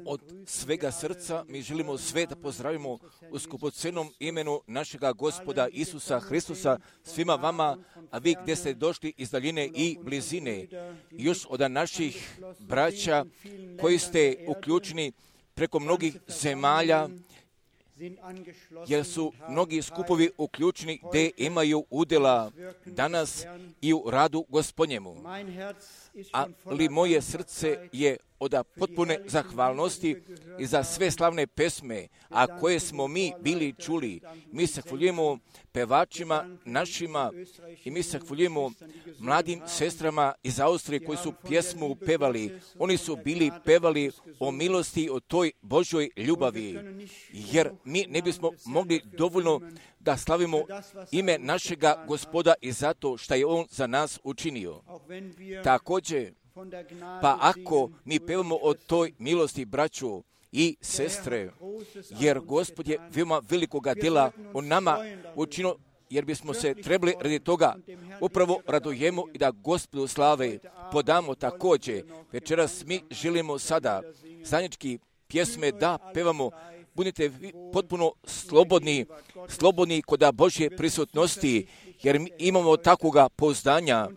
Od svega srca mi želimo sve da pozdravimo u skupocenom imenu našega Gospoda Isusa Hristusa svima vama, a vi gdje ste došli iz daljine i blizine, još od naših braća koji ste uključeni preko mnogih zemalja, jer su mnogi skupovi uključeni gdje imaju udjela danas i u radu Gospodnjemu. Ali moje srce je od potpune zahvalnosti i za sve slavne pesme, a koje smo mi bili čuli. Mi se hvaljujemo pevačima našima i mi se hvaljujemo mladim sestrama iz Austrije koji su pjesmu pevali. Oni su bili pevali o milosti, o toj Božoj ljubavi, jer mi ne bismo mogli dovoljno da slavimo ime našega Gospoda i zato što je On za nas učinio. Također, pa ako mi pevamo o toj milosti, braću i sestre, jer Gospod je veoma velikoga djela o nama učinio, jer bismo se trebali radi toga upravo radujemo i da Gospodu slave podamo također. Večeras mi želimo sada zajednički pjesme da pevamo. Budite potpuno slobodni kod Božje prisutnosti, jer mi imamo takvoga pouzdanja,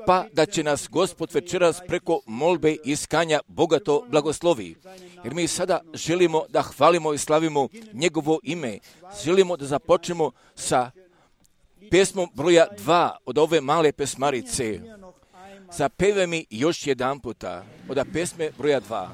pa da će nas Gospod večeras preko molbe i iskanja bogato blagoslovi. Jer mi sada želimo da hvalimo i slavimo njegovo ime. Želimo da započnemo sa pjesmom broja 2 od ove male pesmarice. Zapevaj mi još jedan puta od pjesme broja 2.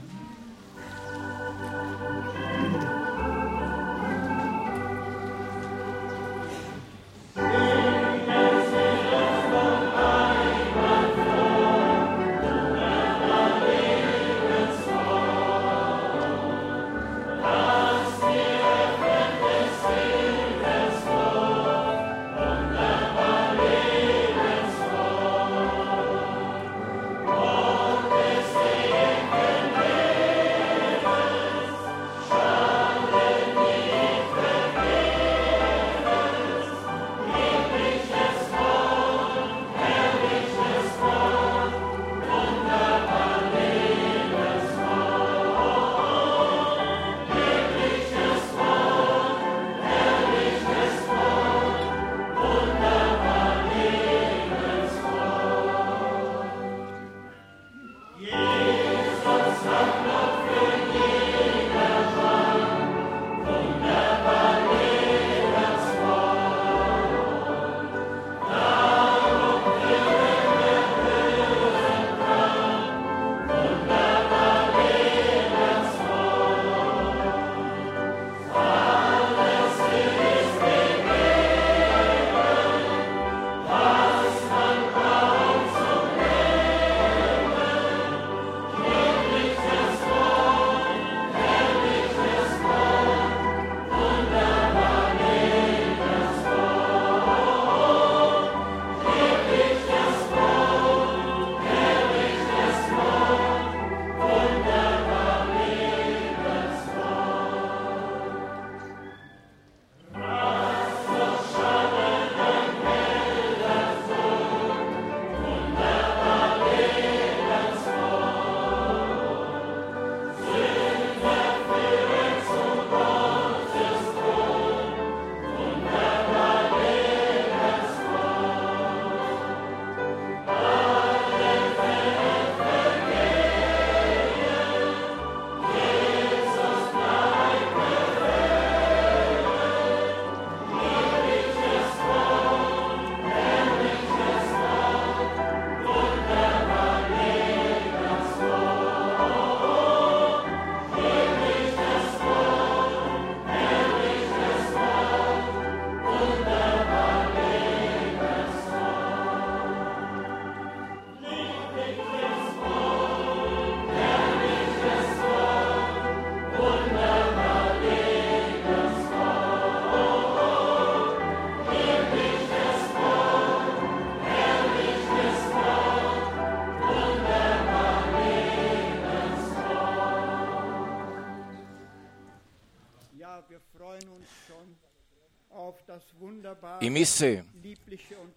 I mi se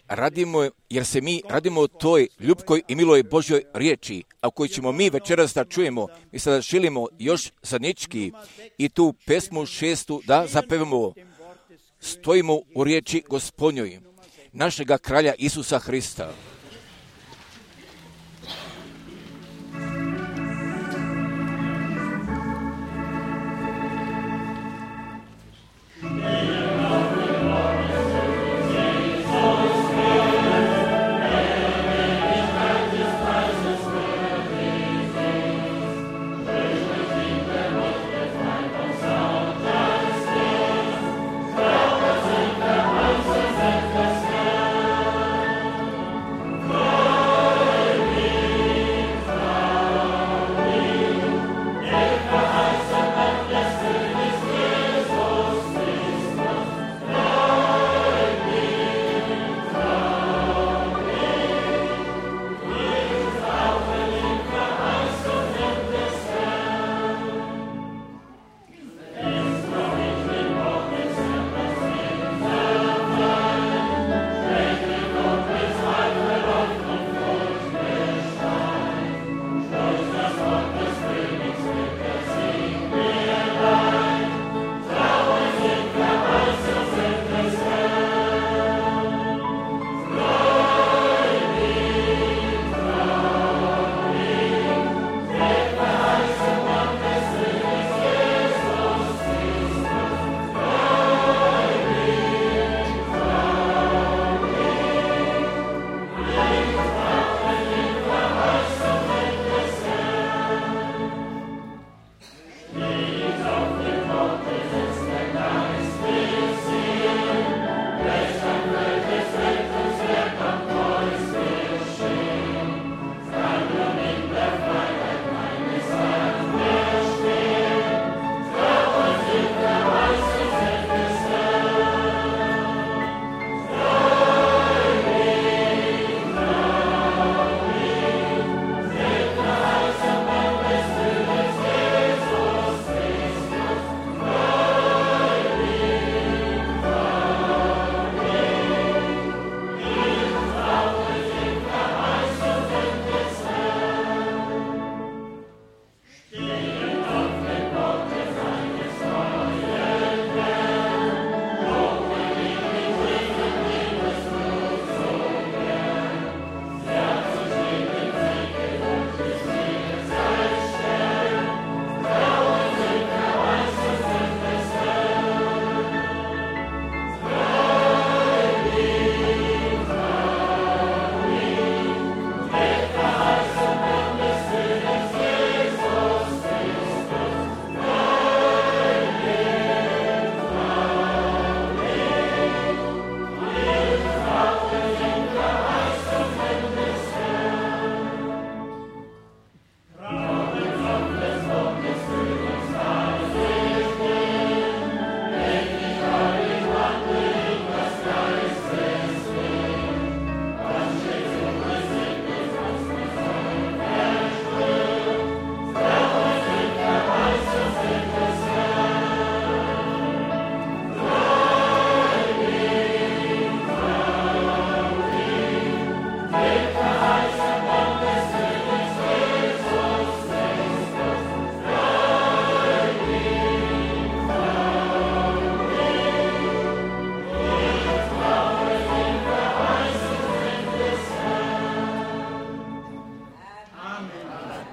radimo, jer se mi radimo o toj ljubkoj i miloj Božjoj riječi, a koju ćemo mi večeras da čujemo. Mi sada želimo još zadnjički i tu pesmu 6. da zapevamo. Stojimo u riječi Gospodnjoj, našega kralja Isusa Hrista.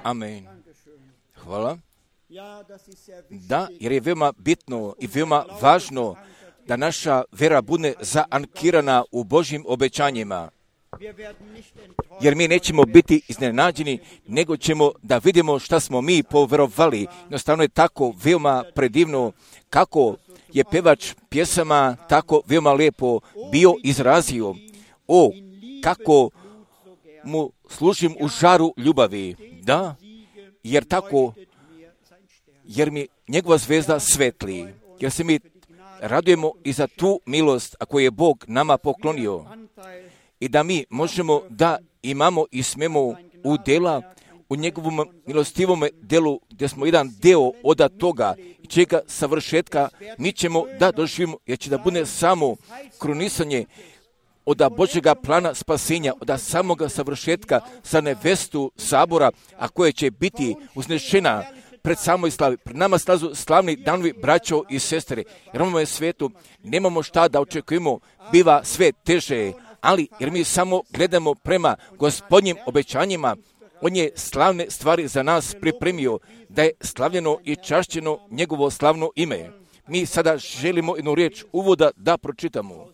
Amen. Hvala. Da, jer je veoma bitno i veoma važno da naša vera bude zaankirana u Božjim obećanjima. Jer mi nećemo biti iznenađeni, nego ćemo da vidimo šta smo mi poverovali. Jednostavno je tako veoma predivno kako je pevač pjesama tako veoma lijepo bio izrazio. O, kako mu služim u žaru ljubavi. Da, jer tako, jer mi njegova zvezda svetli. Jer se mi radujemo i za tu milost, a koju je Bog nama poklonio. I da mi možemo da imamo i smemo udjela u njegovom milostivom delu, gdje smo jedan deo od toga i čega savršetka, mi ćemo da doživimo, jer će da bude samo krunisanje od Božjega plana spasenja, od samoga savršetka sa nevestu sabora, a koje će biti uznešena pred samoj slavi. Pred nama slazu slavni danovi, braćo i sestre, jer ovome je svetu nemamo šta da očekujemo, biva sve teže, ali jer mi samo gledamo prema Gospodnjim obećanjima, on je slavne stvari za nas pripremio, da je slavljeno i čašćeno njegovo slavno ime. Mi sada želimo jednu riječ uvoda da pročitamo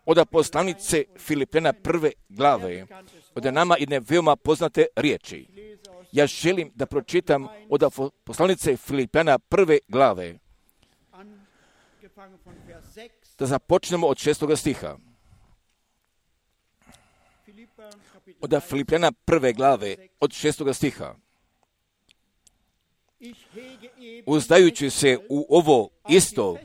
od poslanice Filipljana 1. glave, od nama jedne veoma poznate riječi. Ja želim da pročitam od poslanice Filipljana 1. glave, da započnemo od 6. stiha. Od Filipljana 1. glave, od 6. stiha. Uzdajući se u ovo isto,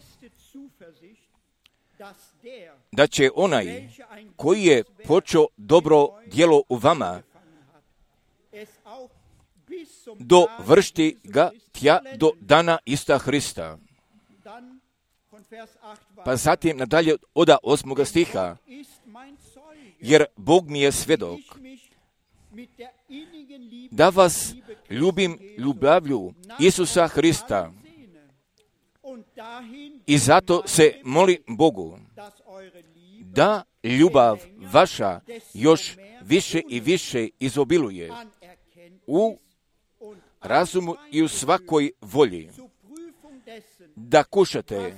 da će onaj koji je počeo dobro djelo u vama, dovršiti ga tja do dana Isusa Hrista. Pa zatim nadalje od 8. stiha. Jer Bog mi je svjedok da vas ljubim ljubavlju Isusa Hrista i zato se molim Bogu da ljubav vaša još više i više izobiluje u razumu i u svakoj volji, da kušate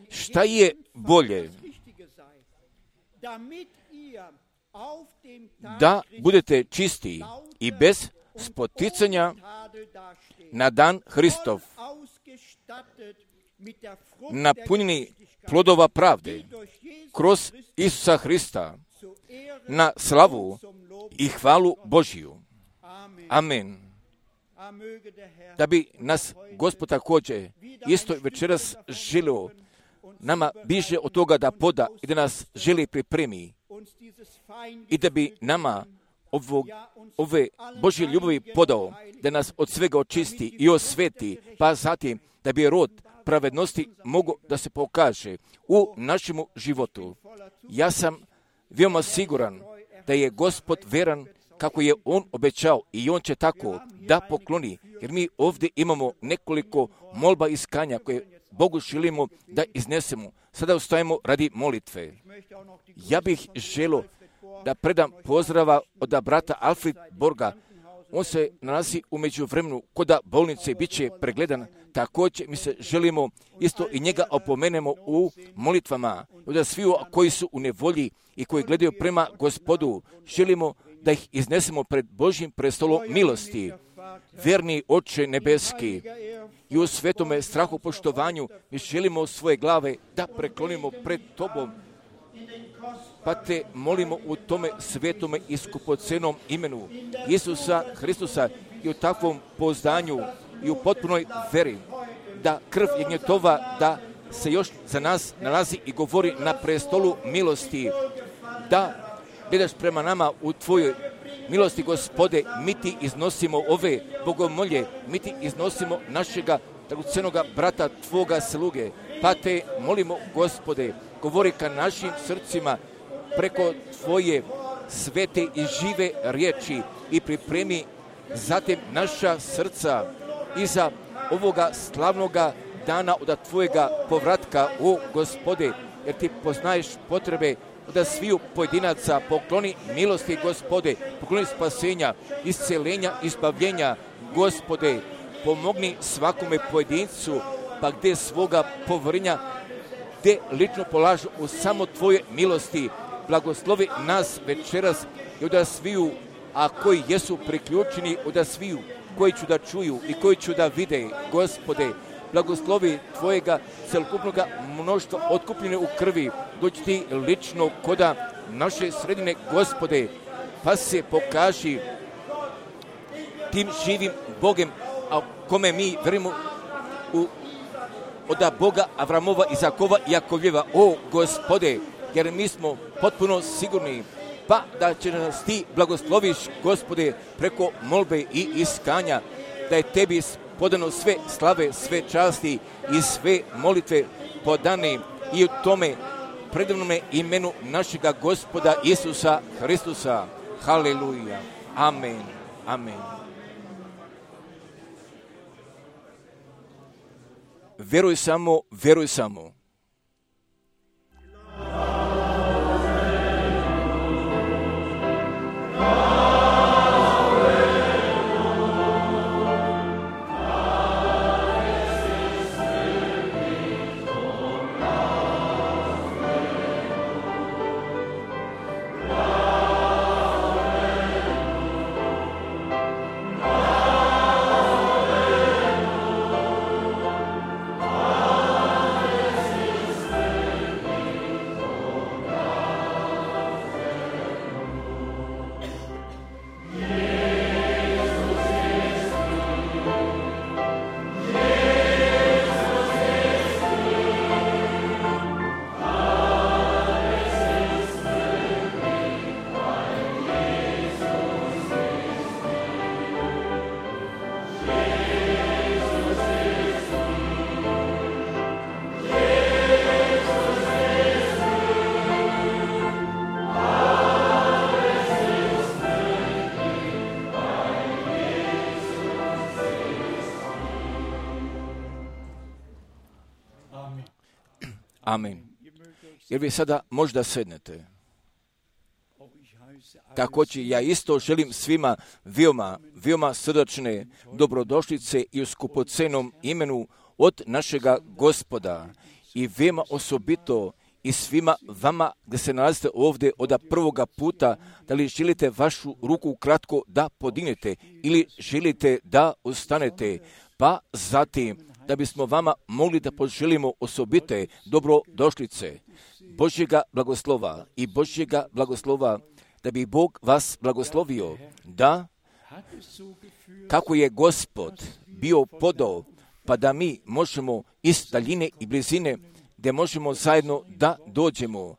šta je bolje, da budete čisti i bez spoticanja na dan Hristov, napunjeni plodova pravde kroz Isusa Hrista, na slavu i hvalu Božiju. Amen. Da bi nas Gospod također isto večeras želio nama bliže od toga da poda i da nas želi pripremi i da bi nama ove Božje ljubavi podao, da nas od svega očisti i osveti, pa zatim da bi rod pravednosti mogao da se pokaže u našem životu. Ja sam veoma siguran da je Gospod veran kako je On obećao i On će tako da pokloni, jer mi ovdje imamo nekoliko molba iskanja koje Bogu želimo da iznesemo. Sada ustajemo radi molitve. Ja bih želio da predam pozdrava od brata Alfred Borga. On se nalazi u međuvremenu kod bolnice i bit će pregledan. Također mi se želimo isto i njega opomenemo u molitvama. Od svi koji su u nevolji i koji gledaju prema Gospodu, želimo da ih iznesemo pred Božjim prestolom milosti. Verni Oče nebeski, i u svetome strahopoštovanju mi želimo svoje glave da preklonimo pred Tobom, pa te molimo u tome svetome i skupocenom imenu Isusa Hristusa i u takvom pouzdanju i u potpunoj veri, da krv Jagnjetova da se još za nas nalazi i govori na prestolu milosti, da gledaš prema nama u Tvojoj milosti, Gospode, mi Ti iznosimo ove bogomolje, mi Ti iznosimo našega dragocenoga brata Tvoga sluge, pa te molimo, Gospode, govori ka našim srcima preko Tvoje svete i žive riječi i pripremi zatim naša srca iza ovoga slavnoga dana od Tvojega povratka, o Gospode, jer Ti poznaješ potrebe da sviju pojedinaca, pokloni milosti, Gospode, pokloni spasenja, iscelenja, izbavljenja, Gospode, pomogni svakome pojedincu, pa gdje svoga povrnja, gdje lično polažu u samo Tvoje milosti, blagoslovi nas večeras i od sviju, a koji jesu priključeni od sviju, koji ću da čuju i koji ću da vide, Gospode, blagoslovi Tvojega celokupnoga mnoštva otkupljene u krvi, doći Ti lično koda naše sredine, Gospode, pa se pokaži tim živim Bogem, a kome mi verimo od Boga Avramova, Izakova i Jakovljeva, o Gospode, jer mi smo potpuno sigurni pa da će nas ti blagosloviš, Gospode, preko molbe i iskanja, da je tebi podano sve slave, sve časti i sve molitve podane i u tome predivnome imenu našega Gospoda Isusa Hristusa. Haleluja. Amen. Amen. Vjeruj samo, vjeruj samo. Amen. Jer vi sada možda sednete. Također ja isto želim svima veoma srdačne dobrodošlice i u skupocenom imenu od našega Gospoda i veoma osobito i svima vama gdje se nalazite ovdje od prvoga puta, da li želite vašu ruku kratko da podignete ili želite da ustanete, pa zatim da bismo vama mogli da poželimo osobite dobrodošlice Božjega blagoslova i Božjega blagoslova, da bi Bog vas blagoslovio, da kako je Gospod bio podao, pa da mi možemo iz daljine i blizine, gdje možemo zajedno da dođemo,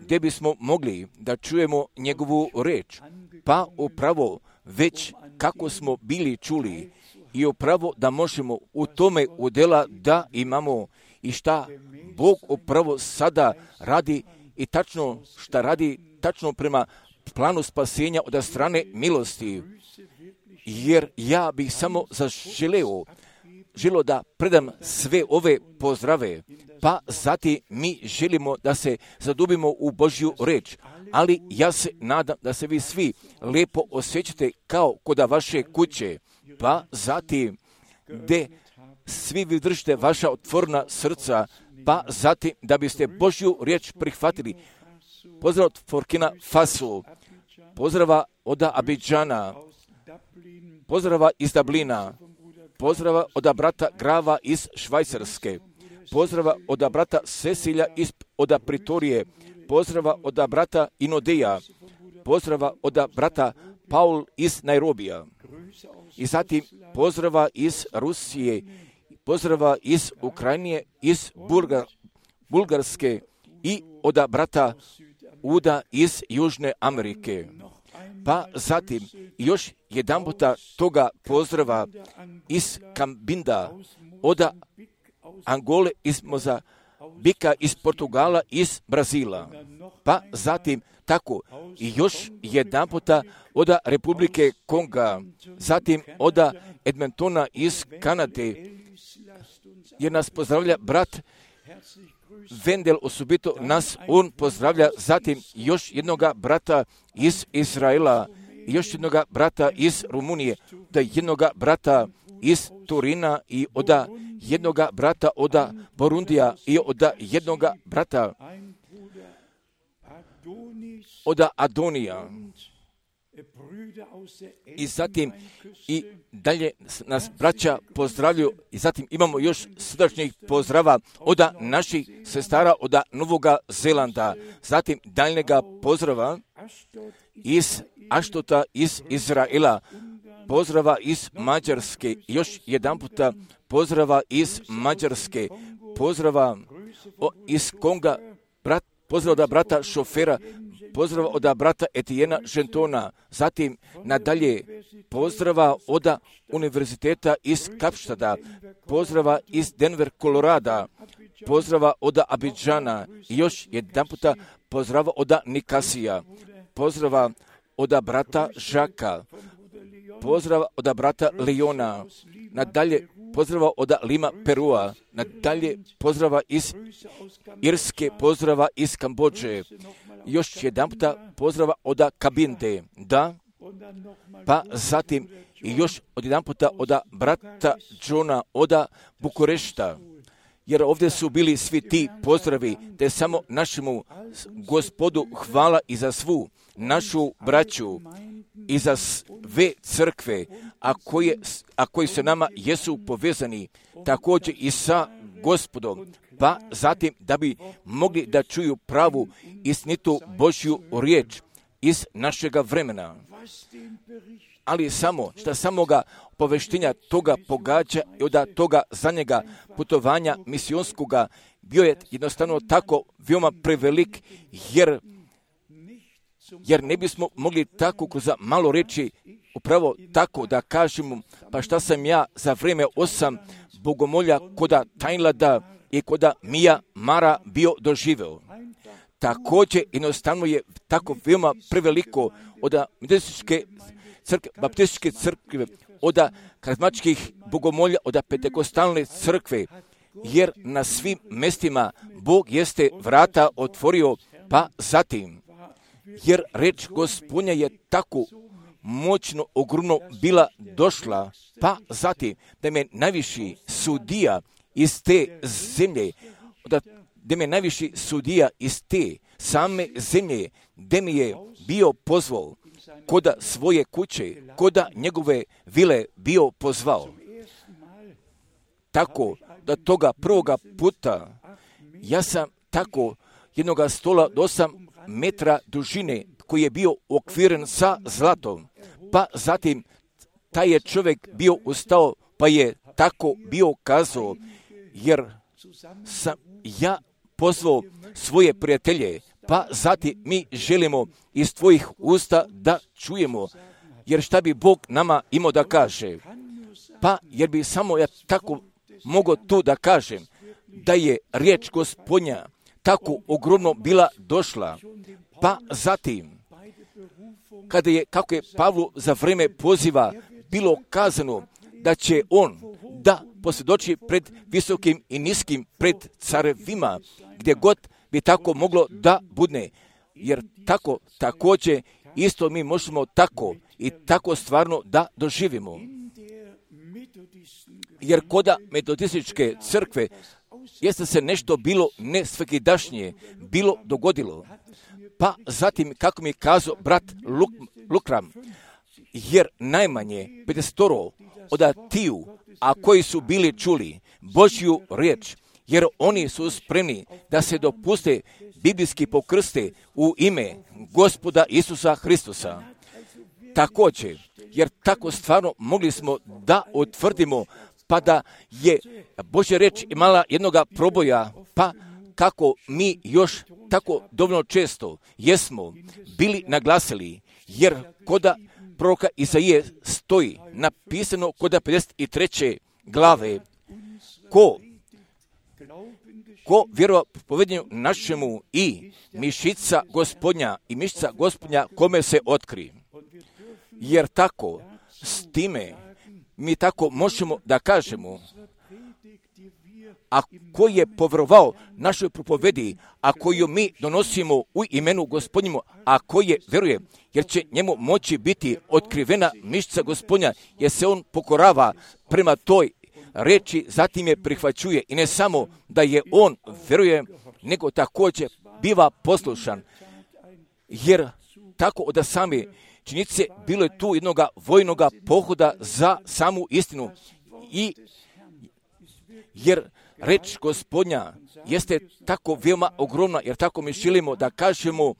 gdje bismo mogli da čujemo njegovu reč, pa upravo već kako smo bili čuli i upravo da možemo u tome udjela da imamo i šta Bog upravo sada radi i tačno šta radi tačno prema planu spasenja od strane milosti. Jer ja bih samo želio da predam sve ove pozdrave, pa zatim mi želimo da se zadubimo u Božju reč, ali ja se nadam da se vi svi lijepo osjećate kao kod vaše kuće, pa zatim gdje svi vi držite vaša otvorena srca, pa zatim da biste Božju riječ prihvatili. Pozdrav od Burkina Faso, pozdrava od Abidžana, pozdrava iz Dublina, pozdrava od brata Grava iz Švajcarske, pozdrava od brata Cecilja od Pritorije, pozdrava od brata Inodeja, pozdrava od brata Paul iz Nairobija. I zatim pozdrava iz Rusije, pozdrava iz Ukrajine, iz Bulgarske i od brata Uda iz Južne Amerike. Pa zatim još jedan puta toga pozdrava iz Kambinda, od Angole, iz Mozambika, iz Portugala, iz Brazila. Pa zatim tako i još jedan puta od Republike Konga, zatim od Edmontona iz Kanade, jer nas pozdravlja brat Vendel, osobito nas on pozdravlja, zatim još jednoga brata iz Izraela, još jednoga brata iz Rumunije, da jednoga brata iz Turina i od jednoga brata od Burundija i od jednoga brata od Adonija. I zatim i dalje nas braća pozdravljaju i zatim imamo još srdačnih pozdrava od naših sestara od Novoga Zelanda, zatim daljnjega pozdrava iz Aštota iz Izraela, pozdrava iz Mađarske, još jedan puta pozdrava iz Mađarske, pozdrava iz Konga, pozdrav od brata šofera, pozdrava od brata Etiena Gentona, zatim nadalje pozdrava od univerziteta iz Kapštada, pozdrava iz Denver, Kolorada, pozdrava od Abidžana i još jedan puta pozdrava od Nikasija, pozdrava od brata Žaka, pozdrava od brata Leona, nadalje pozdrava od Lima, Perua, nadalje pozdrava iz Irske, pozdrava iz Kambodže, još jedan puta pozdrava od Kabinde, da, pa zatim i još od jedan puta od brata Johna od Bukurešta, jer ovdje su bili svi ti pozdravi, te samo našemu Gospodu hvala i za svu našu braću i za sve crkve, a koji se nama jesu povezani, također i sa Gospodom, pa zatim da bi mogli da čuju pravu istinitu Božju riječ iz našega vremena. Ali samo, što samoga poveštenja toga pogađa i od toga za njega putovanja misionskoga bio je jednostavno tako veoma prevelik, jer ne bismo mogli tako kroz malo reći upravo tako da kažemo, pa šta sam ja za vrijeme 8 bogomolja koda Tajnlada i koda Mija Mara bio doživeo. Također jednostavno je tako veoma preveliko od baptističke crkve, od karizmatičkih bogomolja, od pentekostalne crkve, jer na svim mjestima Bog jeste vrata otvorio, pa zatim, jer reč Gospodnja je tako moćno, ogromno bila došla, pa zatim da me najviši sudija iz te zemlje, da me najviši sudija iz te same zemlje, gdje mi je bio pozvao, koda svoje kuće, koda njegove vile bio pozvao. Tako da toga prvoga puta ja sam tako jednoga stola do 8 metra dužine koji je bio okviren sa zlatom, pa zatim taj je čovjek bio ustao, pa je tako bio kazao, jer sam ja pozvao svoje prijatelje, pa zatim mi želimo iz tvojih usta da čujemo, jer šta bi Bog nama imao da kaže? Pa jer bi samo ja tako mogao tu da kažem, da je riječ Gospodnja tako ogromno bila došla, pa zatim, kako je Pavlu za vrijeme poziva bilo kazano da će on da posvjedoči pred visokim i niskim, pred carevima, gdje god bi tako moglo da budne, jer tako također isto mi možemo tako i tako stvarno da doživimo. Jer koda metodističke crkve jeste se nešto bilo nesvakidašnje bilo dogodilo. Pa zatim, kako mi je kazao brat Lukram, jer najmanje 50 od tiju, a koji su bili čuli Božju riječ, jer oni su spremni da se dopuste biblijski pokrste u ime Gospoda Isusa Hristusa. Također, jer tako stvarno mogli smo da utvrdimo, pa da je Božja riječ imala jednoga proboja, pa kako mi još tako dovoljno često jesmo bili naglasili, jer koda proroka Izaije stoji napisano koda 53. glave, ko vjerova povedenju našemu i mišica Gospodnja kome se otkri. Jer tako, s time, mi tako možemo da kažemo, a ko je povjerovao našoj propovedi, a koju mi donosimo u imenu Gospodnjemu, a koje vjeruje, jer će njemu moći biti otkrivena mišica Gospodnja, jer se on pokorava prema toj reči, zatim je prihvaćuje i ne samo da je on vjeruje, nego također biva poslušan, jer tako od same činjenice bilo je tu jednoga vojnoga pohoda za samu istinu, i jer reč Gospodnja jeste tako veoma ogromna, jer tako mi želimo da kažemo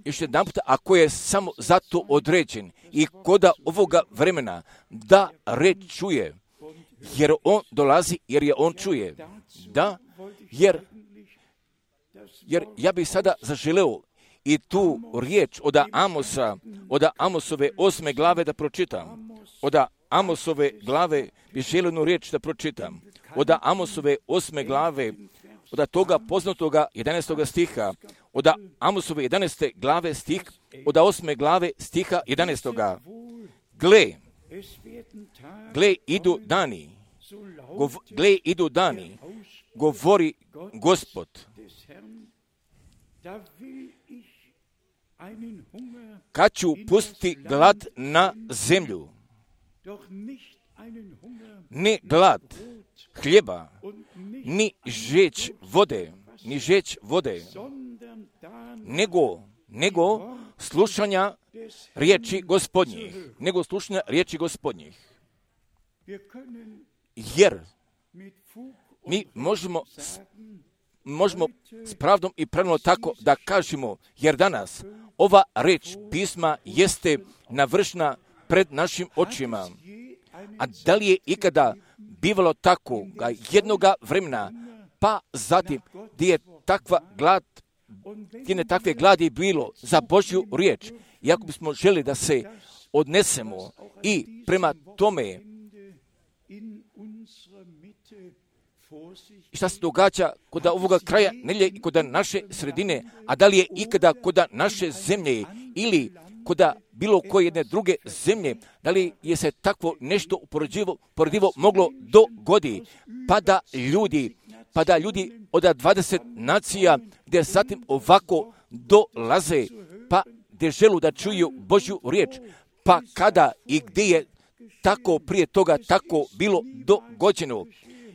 još jedan puta, ako je samo zato određen i koda ovoga vremena da reč čuje, jer on dolazi, jer je on čuje. Da, jer ja bih sada zaželeo i tu riječ od Amosa, od Amosove 8. glave da pročitam. Od Amosove glave bi želio jednu riječ da pročitam. Od Amosove 8. glave, od toga poznatoga 11. stiha, od Amosove 11. glave stih, od 8. glave stiha 11. Gle, idu dani, govori Gospod. Kad ću pustiti glad na zemlju, ne glad hljeba, ni žeć vode, nego slušanja riječi Gospodnjih. Jer mi možemo s pravdom i pravilno tako da kažemo, jer danas ova reč pisma jeste navršena pred našim očima. A da li je ikada bivalo tako jednoga vremena, pa zatim gdje je takve gladi bilo za Božju riječ, i ako bismo želi da se odnesemo i prema tome šta se događa kod ovoga kraja nedjelje i kod naše sredine, a da li je ikada kod naše zemlje ili kod bilo koje jedne druge zemlje, da li je se takvo nešto uporedivo moglo dogodi, pa da ljudi od 20 nacija gdje zatim ovako dolaze, pa gdje želu da čuju Božju riječ, pa kada i gdje je tako prije toga tako bilo dogođeno,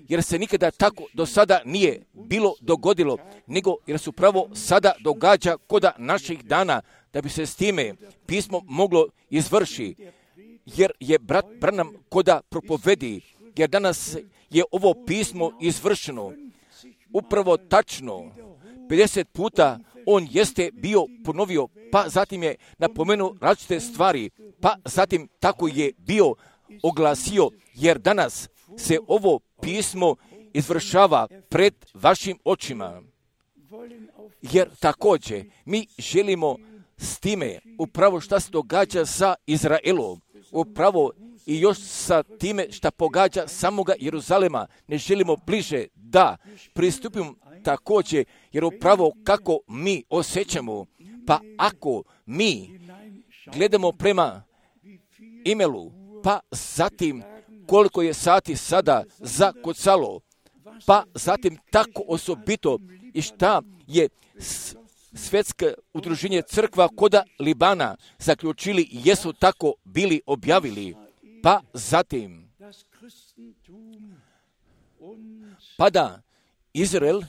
jer se nikada tako do sada nije bilo dogodilo, nego jer se upravo sada događa kod naših dana, da bi se s time pismo moglo izvrši, jer je brat Branham koda propovedi, jer danas je ovo pismo izvršeno, upravo tačno, 50 puta on jeste bio ponovio, pa zatim je napomenuo različite stvari, pa zatim tako je bio oglasio, jer danas se ovo pismo izvršava pred vašim očima. Jer također mi želimo s time upravo šta se događa sa Izraelom, upravo i još sa time šta pogađa samoga Jeruzalema, ne želimo bliže da pristupimo također, jer upravo kako mi osjećamo, pa ako mi gledamo prema imelu, pa zatim koliko je sati sada zakucalo, pa zatim tako osobito i šta je svjetsko udruženje crkva koda Libana zaključili i jesu tako bili objavili, pa zatim pa da Izrael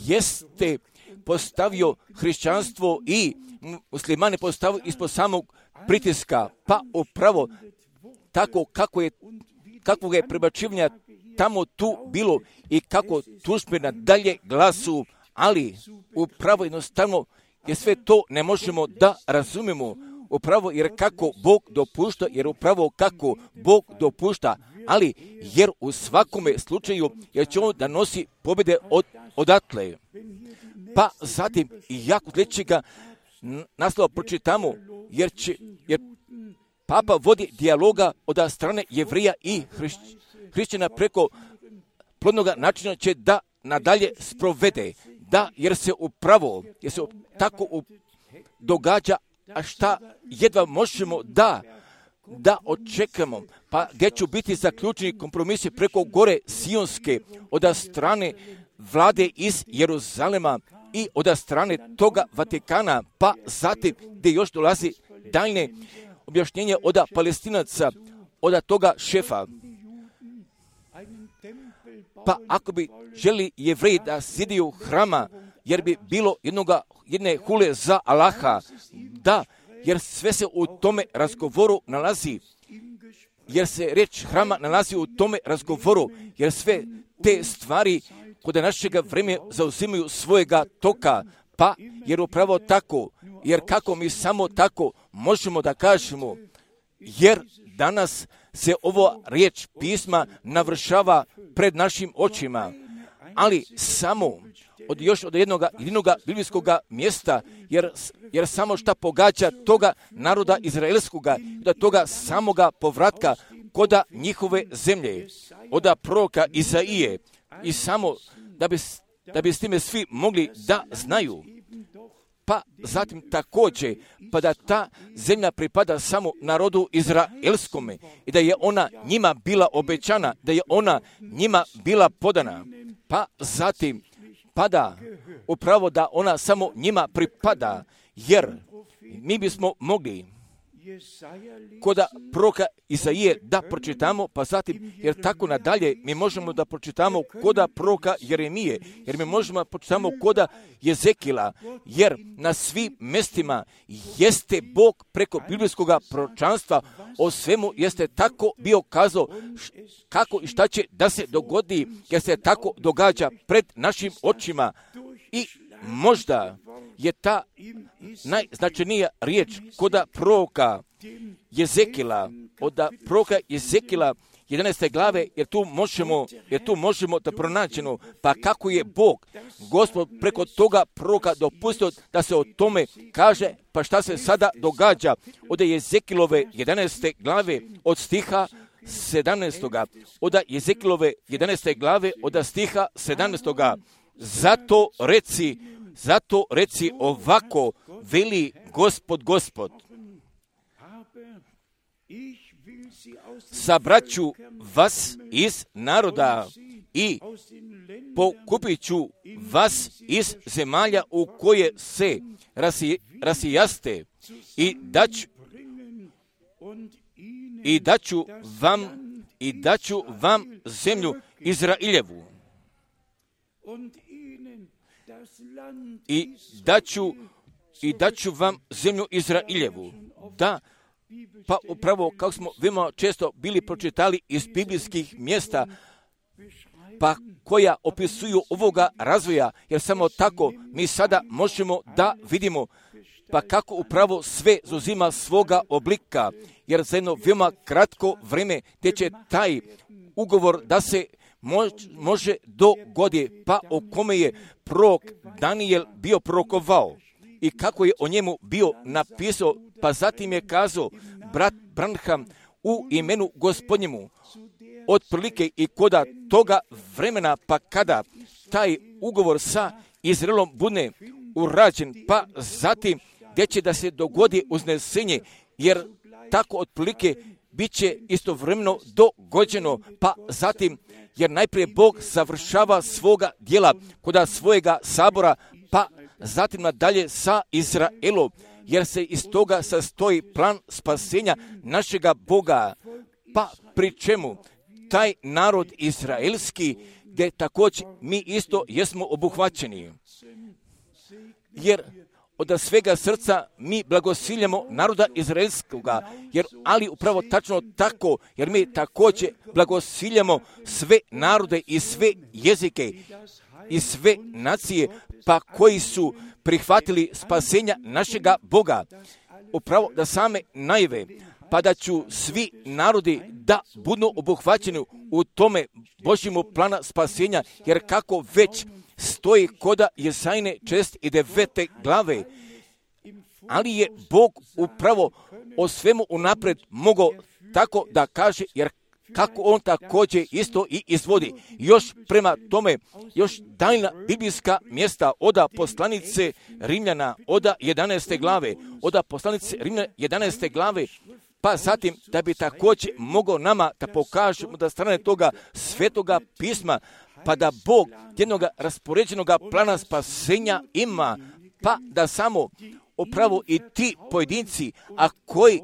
jeste postavio hrišćanstvo i muslimane postavio ispod samog pritiska, pa upravo tako kakvog je prebačivanja tamo tu bilo i kako tužbe nadalje glasu, ali upravo jednostavno je sve to ne možemo da razumemo, upravo jer kako Bog dopušta, ali jer u svakome slučaju jer će on da nosi pobjede odatle. Pa zatim i jako sljedećega naslova pročitamo, jer Papa vodi dijaloga od strane Jevrija i hrišćana preko plodnog načina će da nadalje sprovede. Da, jer se tako događa, a šta jedva možemo da očekamo, pa gdje ću biti zaključeni kompromisi preko gore Sionske od strane vlade iz Jeruzalema i od strane toga Vatikana, pa zatim gdje još dolazi daljne objašnjenje od Palestinaca, od toga šefa. Pa ako bi želi Jevreji da zidiju hrama, jer bi bilo jedne hule za Allaha, da, jer sve se u tome razgovoru nalazi, jer se riječ hrama nalazi u tome razgovoru, jer sve te stvari kod našega vremena zauzimaju svojega toka, pa jer upravo tako, jer kako mi samo tako možemo da kažemo, jer danas se ovo riječ pisma navršava pred našim očima, ali samo od jednog biblijskoga mjesta, jer samo šta pogađa toga naroda izraelskoga, da toga samoga povratka koda njihove zemlje, od proroka Izaije, i samo da bi s time svi mogli da znaju. Pa zatim također, pa da ta zemlja pripada samo narodu izraelskome i da je ona njima bila obećana, da je ona njima bila podana. Pa zatim pada upravo da ona samo njima pripada, jer mi bismo mogli koda proroka Izaije da pročitamo, pa zatim, jer tako nadalje, mi možemo da pročitamo koda proroka Jeremije, jer mi možemo da pročitamo koda Jezekila, jer na svim mjestima jeste Bog preko biblijskog proročanstva o svemu jeste tako bio kazao kako i šta će da se dogodi, jer se tako događa pred našim očima. I možda je ta najznačajnija riječ koda proroka Jezekila, od proroka Jezekila 11. glave, jer tu možemo da pronađemo, pa kako je Bog, Gospod, preko toga proroka dopustio da se o tome kaže, pa šta se sada događa. Od Jezekilove 11. glave od stiha 17. Od Jezekilove 11. glave od stiha 17. Zato reci ovako, veli Gospod. Sabraću vas iz naroda i pokupit ću vas iz zemalja u koje se rasijaste i daću vam zemlju Izrailjevu. I daću vam zemlju Izrailjevu. Da, pa upravo kako smo veoma često bili pročitali iz biblijskih mjesta, pa koja opisuju ovoga razvoja, jer samo tako mi sada možemo da vidimo pa kako upravo sve zauzima svoga oblika, jer za jedno veoma kratko vrijeme gdje će taj ugovor da se može dogoditi, pa o kome je prorok Danijel bio prorokovao i kako je o njemu bio napisao, pa zatim je kazao brat Branham u imenu Gospodnjemu, otprilike i koda toga vremena, pa kada taj ugovor sa Izraelom bude urađen, pa zatim gdje će da se dogodi uznesenje, jer tako otprilike bit će istovremeno dogođeno, pa zatim, jer najprije Bog završava svoga djela koda svojega sabora, pa zatim nadalje sa Izraelom, jer se iz toga sastoji plan spasenja našega Boga, pa pri čemu taj narod izraelski, gdje također mi isto jesmo obuhvaćeni. Jer od svega srca mi blagosiljamo naroda izraelskoga, ali upravo tačno tako, jer mi također blagosiljamo sve narode i sve jezike i sve nacije, pa koji su prihvatili spasenja našega Boga. Upravo da same najave, pa da ću svi narodi da budu obuhvaćeni u tome Božjemu plana spasenja, jer kako već stoji koda Jesajine 49. glave, ali je Bog upravo o svemu unapred mogao tako da kaže, jer kako on također isto i izvodi. Još prema tome, još daljna biblijska mjesta od poslanice Rimljana, od 11. glave, od poslanice Rimljana 11. glave, pa zatim da bi također mogao nama da pokažemo da strane toga svetoga pisma, pa da Bog jednog raspoređenog plana spasenja ima, pa da samo upravo i ti pojedinci, a koji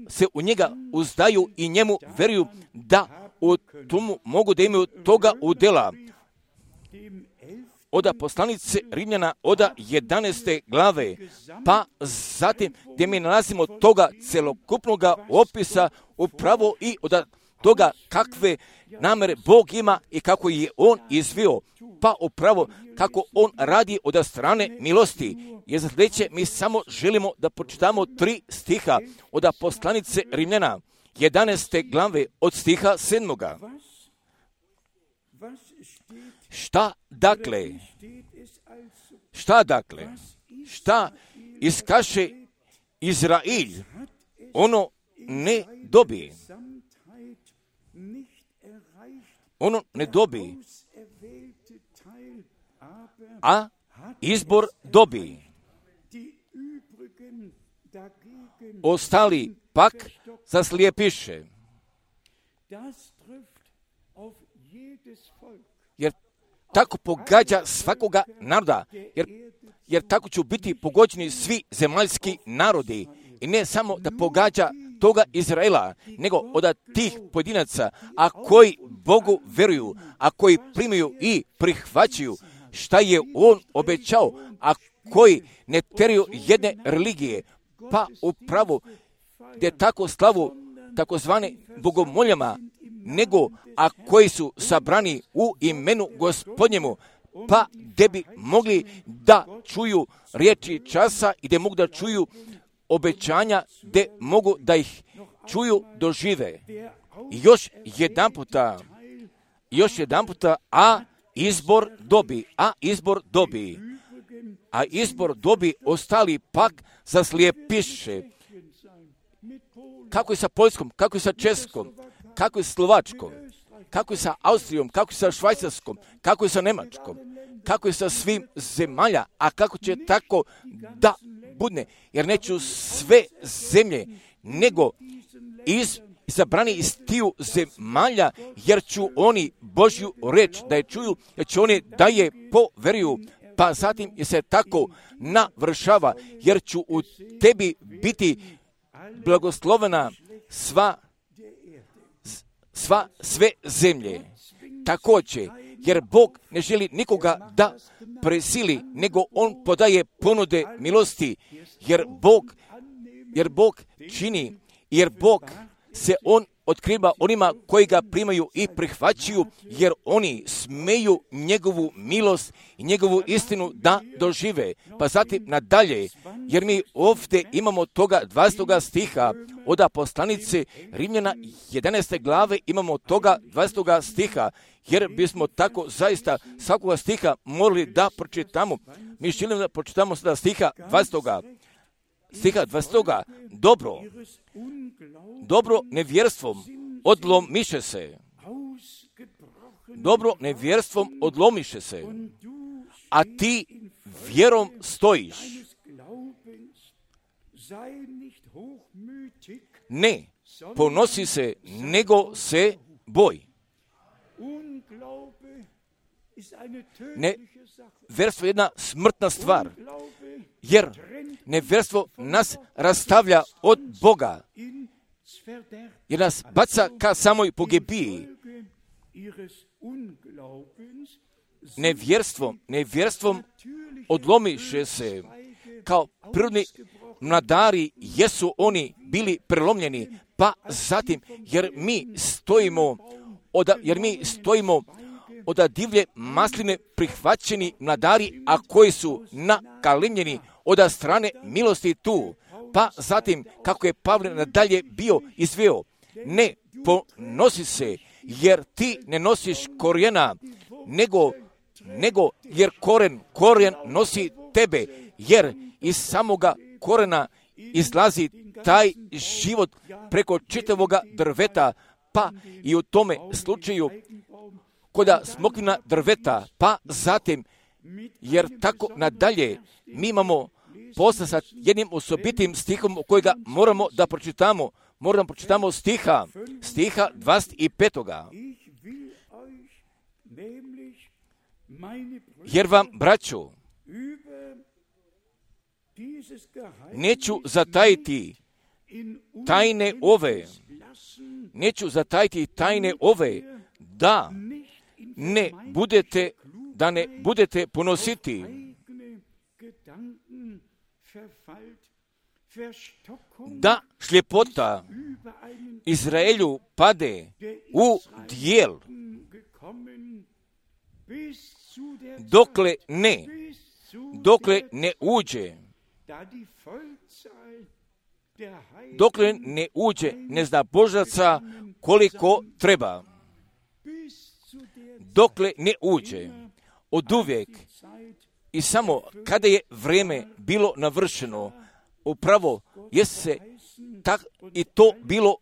se u njega uzdaju i njemu veruju, da u tomu mogu da imaju toga udjela. Od poslanice Rimljana, od 11. glave, pa zatim gdje mi nalazimo toga celokupnog opisa upravo i od toga kakve namere Bog ima i kako je on izvio, pa upravo kako on radi od strane milosti. Jer za sljedeće mi samo želimo da pročitamo 3 stiha od poslanice Rimljana 11. glave od stiha 7. Šta dakle? Šta iskaše Izrail? Ono ne dobi. Ono ne dobi. A izbor dobi. Ostali pak zaslijepiše. Jer tako pogađa svakoga naroda. Jer tako će biti pogođeni svi zemaljski narodi. I ne samo da pogađa toga Izraela, nego od tih pojedinaca, a koji Bogu vjeruju, a koji primaju i prihvaćaju šta je On obećao, a koji ne teraju jedne religije, pa upravo gdje tako slavu takozvane bogomoljama, nego a koji su sabrani u imenu Gospodnjemu, pa gdje bi mogli da čuju riječi časa i gdje mogu da čuju obećanja, gdje mogu da ih čuju, dožive. Još jedan puta, a izbor dobi, ostali pak zaslijepiše. Kako je sa Poljskom, kako je sa Českom, kako je sa Slovačkom, kako je sa Austrijom, kako je sa Švajcarskom, kako je sa Njemačkom, kako je sa svim zemalja, a kako će tako da budne, jer neću sve zemlje, nego izabrani iz tiju zemalja, jer ću oni Božju reč da je čuju, jer će oni da je poveruju, pa zatim je se tako navršava, jer ću u tebi biti blagoslovena sve zemlje. Također, jer Bog ne želi nikoga da presili, nego On podaje ponude milosti, jer Bog čini, jer Bog se On otkriva onima koji ga primaju i prihvaćaju, jer oni smeju njegovu milost i njegovu istinu da dožive. Pa zatim nadalje, jer mi ovdje imamo toga 20. stiha od poslanice Rimljana 11. glave, imamo toga 20. stiha, jer bismo tako zaista svakoga stiha morali da pročitamo. Mi želimo da pročitamo sada stiha 20. Dobro nevjerstvom odlomiše se. A ti vjerom stojiš. Ne ponosi se, nego se boj. Nevjerstvo je jedna smrtna stvar, jer nevjerstvo nas rastavlja od Boga, jer nas baca ka samoj pogibiji. Nevjerstvom odlomiše se, kao prirodni mladari jesu oni bili prelomljeni, pa zatim, jer mi stojimo od divlje masline prihvaćeni mladari, a koji su nakalimljeni od strane milosti tu. Pa zatim, kako je Pavle nadalje bio izveo, ne ponosi se, jer ti ne nosiš korijena, nego jer koren nosi tebe, jer iz samoga korena izlazi taj život preko čitavoga drveta, pa i u tome slučaju koda smokvina drveta, pa zatim, jer tako nadalje, mi imamo posla sa jednim osobitim stihom kojega moramo da pročitamo. Moramo da pročitamo stiha 25. Jer vam, braćo, neću zatajiti tajne ove, da ne budete ponositi, da šljepota Izraelju pade u dijel, dokle ne uđe nezdabožaca koliko treba, dokle ne uđe. Od uvijek i samo kada je vrijeme bilo navršeno, upravo je se i to bilo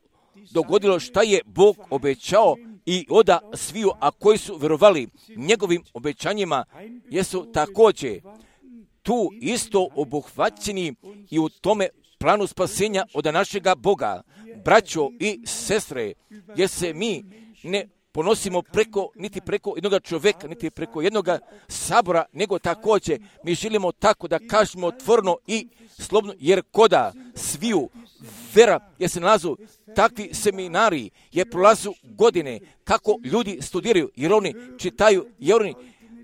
dogodilo šta je Bog obećao i oda sviju, a koji su vjerovali njegovim obećanjima, jesu također tu isto obuhvaćeni i u tome planu spasenja od našega Boga. Braćo i sestre, jer se mi ne ponosimo niti preko jednog čovjeka, niti preko jednog sabora, nego također mi želimo tako da kažemo otvoreno i slobodno, jer koda sviju vera, jer se nalazu takvi seminari, jer prolazu godine kako ljudi studiraju, jer oni čitaju, jer oni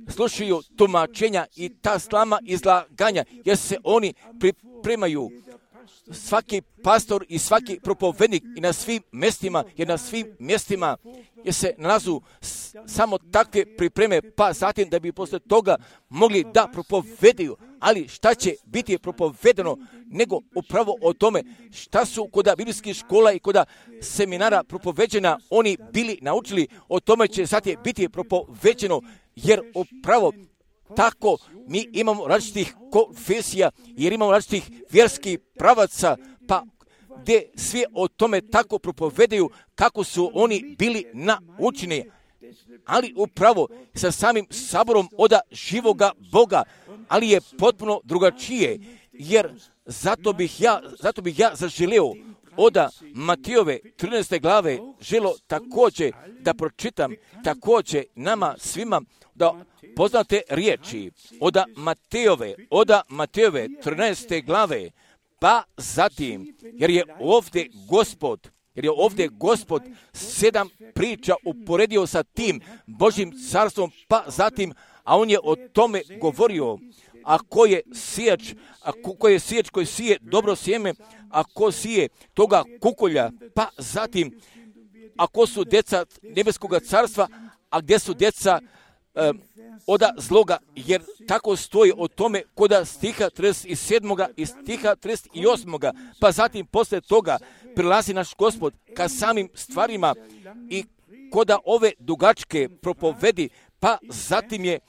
slušaju tumačenja i ta slama izlaganja, jer se oni pripremaju. Svaki pastor i svaki propovednik i na svim mjestima, jer na svim mjestima jer se nalazu samo takve pripreme, pa zatim da bi posle toga mogli da propovedaju. Ali šta će biti propovedano, nego upravo o tome šta su kod biblijskih škola i kod seminara propoveđena, oni bili naučili, o tome će zatim biti propoveđeno, jer upravo tako mi imamo različitih konfesija, jer imamo različitih vjerskih pravaca, pa gdje svi o tome tako propovedaju kako su oni bili naučeni, ali upravo sa samim saborom od živoga Boga, ali je potpuno drugačije, jer zato bih ja zaželeo od Matijove 13. glave želo također da pročitam također nama svima da poznate riječi od Matejove 13. glave, pa zatim, jer je ovdje Gospod 7 priča uporedio sa tim Božjim carstvom, pa zatim, a on je o tome govorio, a ko je sijač koji sije dobro sjeme, a ko sije toga kukolja, pa zatim, a ko su djeca nebeskoga carstva, a gdje su djeca od zloga, jer tako stoji o tome koda stiha 37. i stiha 38. Pa zatim posle toga prilazi naš Gospod ka samim stvarima i koda ove dugačke propovedi, pa zatim je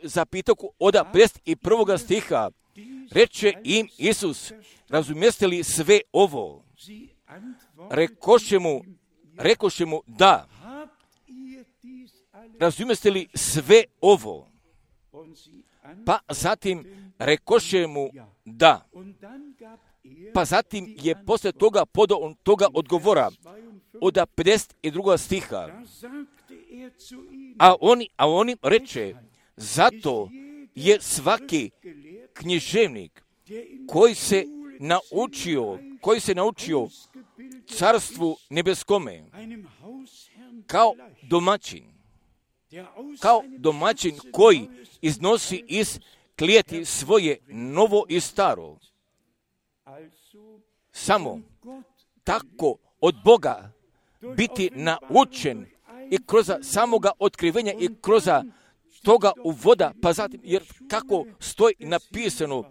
zapitao od 51. stiha, reče im Isus, razumijeste li sve ovo? Rekoše mu da. Razumijeste li sve ovo? Pa zatim rekoše mu da. Pa zatim je posle toga podao on toga odgovora od 52. stiha. A on im reče, zato je svaki književnik koji se naučio carstvu nebeskome kao domaćin koji iznosi iz klijeti svoje novo i staro. Samo tako od Boga biti naučen i kroz samoga otkrivenja i kroz toga uvoda, pa zatim, jer kako stoji napisano,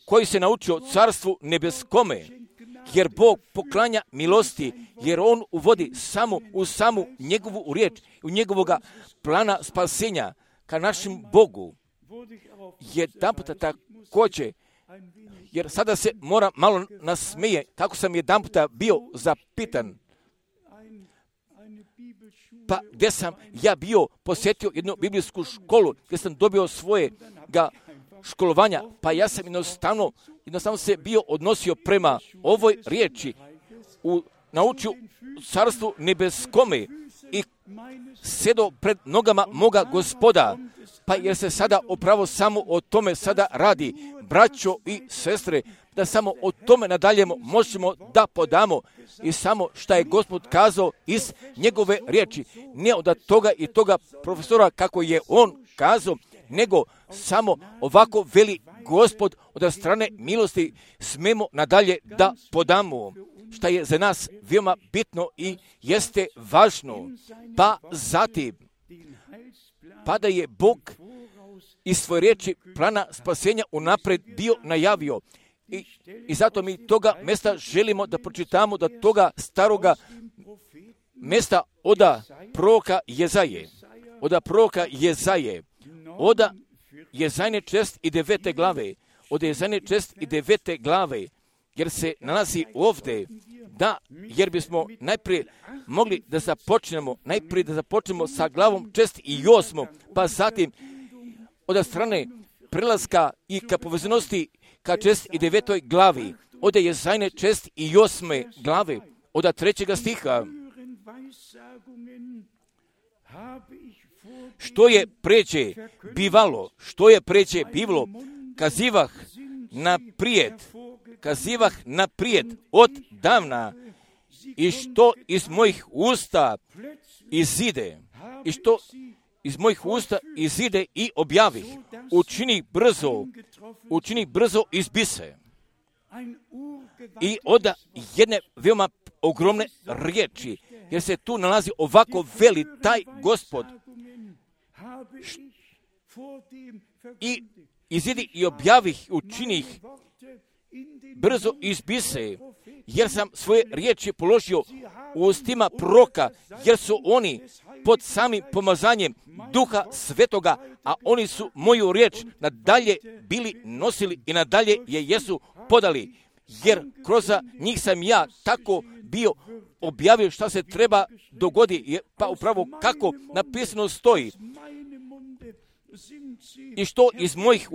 koji se naučio carstvu nebeskome, jer Bog poklanja milosti, jer on uvodi u samu njegovu riječ, u njegovoga plana spasenja ka našem Bogu. Jedanputa također, jer sada se mora malo nasmeje, kako sam jedanputa bio zapitan, pa gdje sam ja bio posjetio jednu biblijsku školu, gdje sam dobio svojega školovanja, pa ja sam jednostavno se bio odnosio prema ovoj riječi, naučio carstvu nebeskome i sjedo pred nogama moga Gospoda, pa jer se sada upravo samo o tome sada radi, braćo i sestre, da samo o tome nadalje možemo da podamo i samo šta je Gospod kazao iz njegove riječi, ne od toga i toga profesora kako je on kazao, nego samo ovako veli Gospod od strane milosti smemo nadalje da podamo, šta je za nas veoma bitno i jeste važno. Pa zatim, pa da je Bog iz svoje riječi plana spasenja unapred bio najavio. I zato mi toga mjesta želimo da pročitamo, da toga staroga mjesta oda proroka Jezaje. Oda proroka Jezaje. Oda Jezajne 49. glave. Od Jezajne 49. glave. Jer se nalazi ovdje da, jer bismo najprije mogli da započnemo sa glavom 48. Pa zatim od strane prelaska i ka povezanosti ka 49. glavi. Od Jezajne 48. glave. Od 3. stiha. Što je pređe bivalo, kazivah naprijed od davna i što iz mojih usta izide i objavih, učini brzo izbise. I onda jedne veoma ogromne riječi, jer se tu nalazi ovako veli taj Gospod i izidi i objavih, učinih brzo izbise, jer sam svoje riječi položio u ustima proroka, jer su oni pod samim pomazanjem Duha Svetoga, a oni su moju riječ nadalje bili nosili i nadalje je jesu podali, jer kroz njih sam ja tako bio objavio šta se treba dogodi, pa upravo kako napisano stoji. I što iz mojih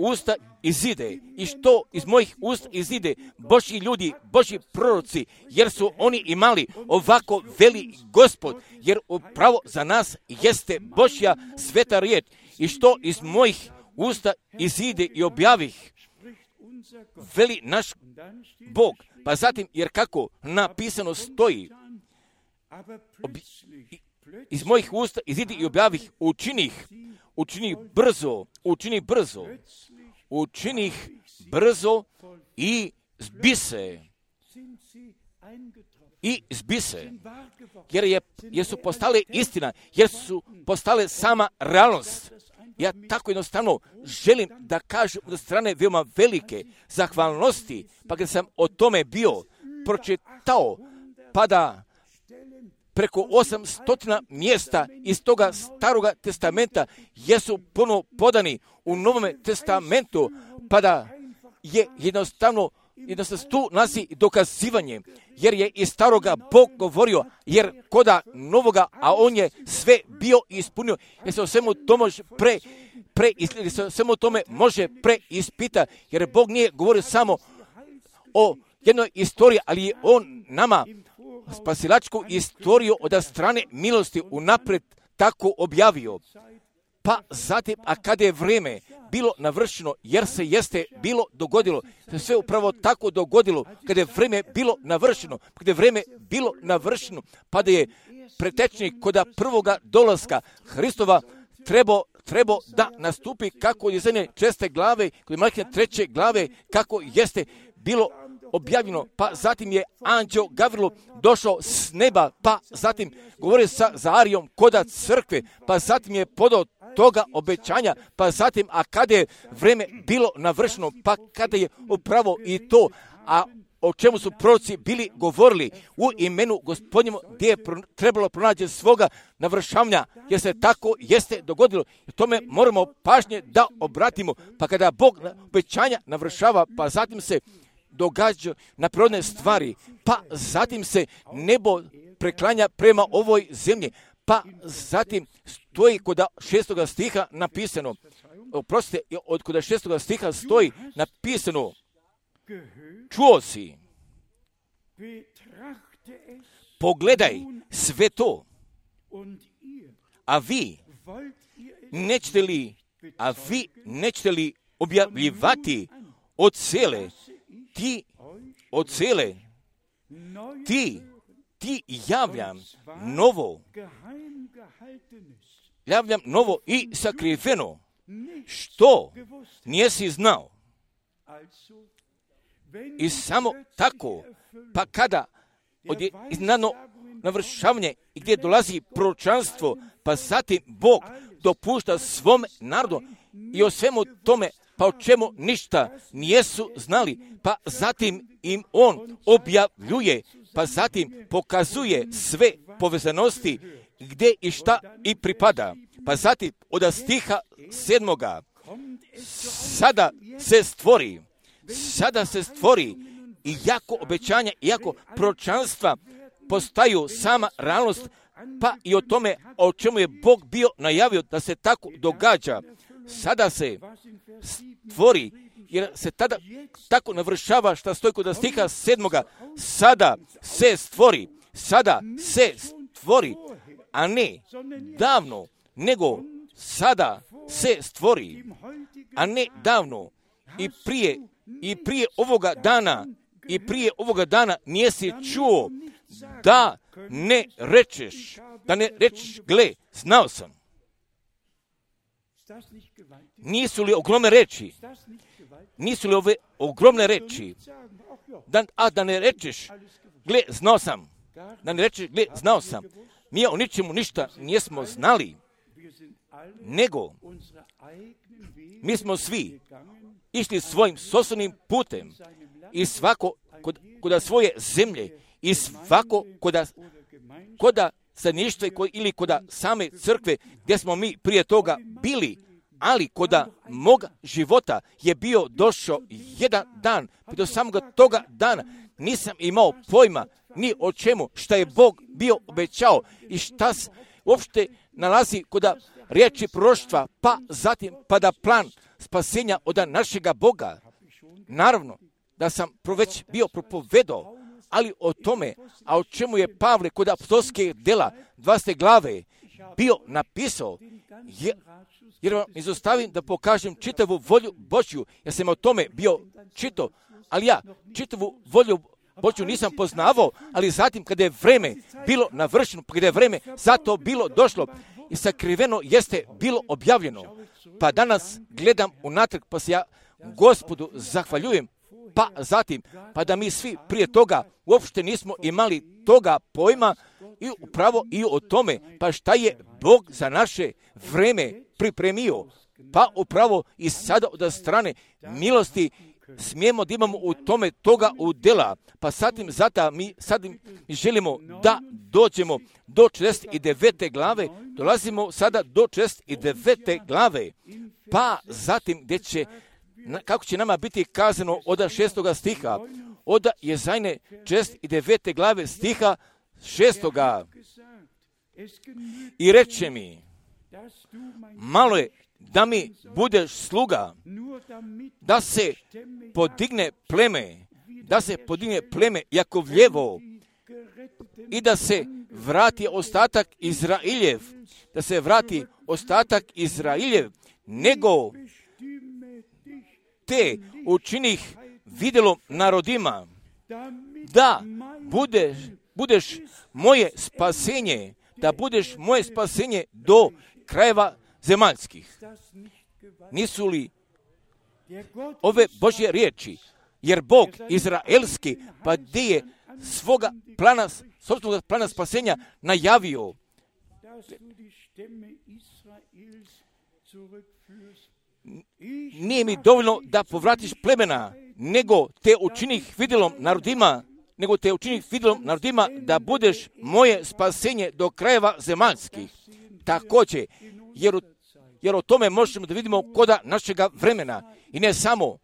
usta izide, Božji ljudi, Božji proroci, jer su oni imali ovako veli Gospod, jer upravo za nas jeste Božja sveta riječ. I što iz mojih usta izide i objavih, veli naš Bog. Pa zatim, jer kako napisano stoji, iz mojih usta izidi i objavih, učini brzo i zbise. Jer su postale istina, jer su postale sama realnost. Ja tako jednostavno želim da kažem od strane veoma velike zahvalnosti, pa kad sam o tome bio pročitao, pa da preko 800 mjesta iz toga Staroga testamenta jesu ponovo podani u Novome testamentu, pa da je jednostavno tu nalazi dokazivanje, jer je iz Staroga Bog govorio, jer koda Novoga, a on je sve bio ispunio, jer se o svemu tome može preispita, jer Bog nije govorio samo o jednoj istoriji, ali je on nama spasilačku istoriju od strane milosti unaprijed tako objavio. Pa zatim, a kada je vrijeme bilo navršeno, jer se jeste bilo dogodilo, se sve upravo tako dogodilo, kada je vrijeme bilo navršeno, pa da je pretečnik kod prvoga dolaska Hristova trebao da nastupi kako je zemlje 6. glave, kod je Malahija 3. glave, kako jeste bilo objavljeno, pa zatim je anđeo Gavrilo došao s neba, pa zatim govori sa Zaharijom koda crkve, pa zatim je podao toga obećanja, pa zatim, a kada je vrijeme bilo navršeno, pa kada je upravo i to, a o čemu su proroci bili govorili u imenu Gospodnjemu, gdje je trebalo pronaći svoga navršavanja, jer se tako jeste dogodilo. I tome moramo pažnje da obratimo, pa kada Bog obećanja navršava, pa zatim se događa na prirodne stvari, pa zatim se nebo preklanja prema ovoj zemlji, pa zatim stoji kod 6. stiha napisano, od kod 6. stiha stoji napisano, čuo si, pogledaj sve to, a vi nećete li objavljivati od cele, ti javljam novo i sakriveno, što nijesi znao. I samo tako, pa kada iznadno navršavanje i gdje dolazi proročanstvo, pa zatim Bog dopušta svom narodu i o svemu tome, pa o čemu ništa nijesu znali, pa zatim im on objavljuje, pa zatim pokazuje sve povezanosti gdje i šta i pripada. Pa zatim od stiha 7. Sada se stvori i jako obećanja, iako proročanstva postaju sama realnost, pa i o tome o čemu je Bog bio najavio da se tako događa. Sada se stvori, jer se tada tako navršava što stoji kod stiha 7. Sada se stvori, a ne davno, nego sada se stvori, a ne davno. I prije ovoga dana nisi čuo da ne rečeš, gle, znao sam. Nisu li ogromne reči? Nisu li ove ogromne reči? Da ne rečeš, gle, znao sam. Da ne rečeš, gle, znao sam. Mi o ničemu ništa nismo znali, nego mi smo svi išli svojim sopstvenim putem i svako kod svoje zemlje i svako kod stanovništva ili kod same crkve gdje smo mi prije toga bili, ali kod moga života je bio došao jedan dan, do samoga toga dana nisam imao pojma ni o čemu šta je Bog bio obećao i šta se uopšte nalazi kod riječi proroštva, pa zatim da plan spasenja od našega Boga. Naravno da sam već bio propovedao, ali o tome, a o čemu je Pavle kod apostolskih dela 20. glave bio napisao, jer vam izostavim da pokažem čitavu volju Božju, ja sam o tome bio čitao, ali ja čitavu volju Božju nisam poznavao, ali zatim kada je vreme bilo navršeno, kada je vreme zato bilo došlo i sakriveno jeste bilo objavljeno. Pa danas gledam unatrag, pa se ja Gospodu zahvaljujem, pa zatim, pa da mi svi prije toga uopšte nismo imali toga pojma i upravo i o tome, pa šta je Bog za naše vreme pripremio, pa upravo i sada od strane milosti smijemo da imamo u tome toga udjela, pa zatim mi želimo da dođemo do 49. glave, dolazimo sada do 49. glave, pa zatim gdje će, kako će nama biti kazano od 6. stiha, od Jezajne 49. glave stiha 6. I reče mi, malo je da mi budeš sluga, da se podigne pleme Jakovljevo i da se vrati ostatak Izrailjev, nego te učinih vidjelom narodima, da budeš moje spasenje, do krajeva zemaljskih. Nisu li ove Božje riječi, jer Bog izraelski, pa gdje je svoga plana spasenja najavio, nije mi dovoljno da povratiš plemena, nego te učinih vidjelom narodima, da budeš moje spasenje do krajeva zemaljskih. Također, jer o tome možemo da vidimo koda našega vremena i ne samo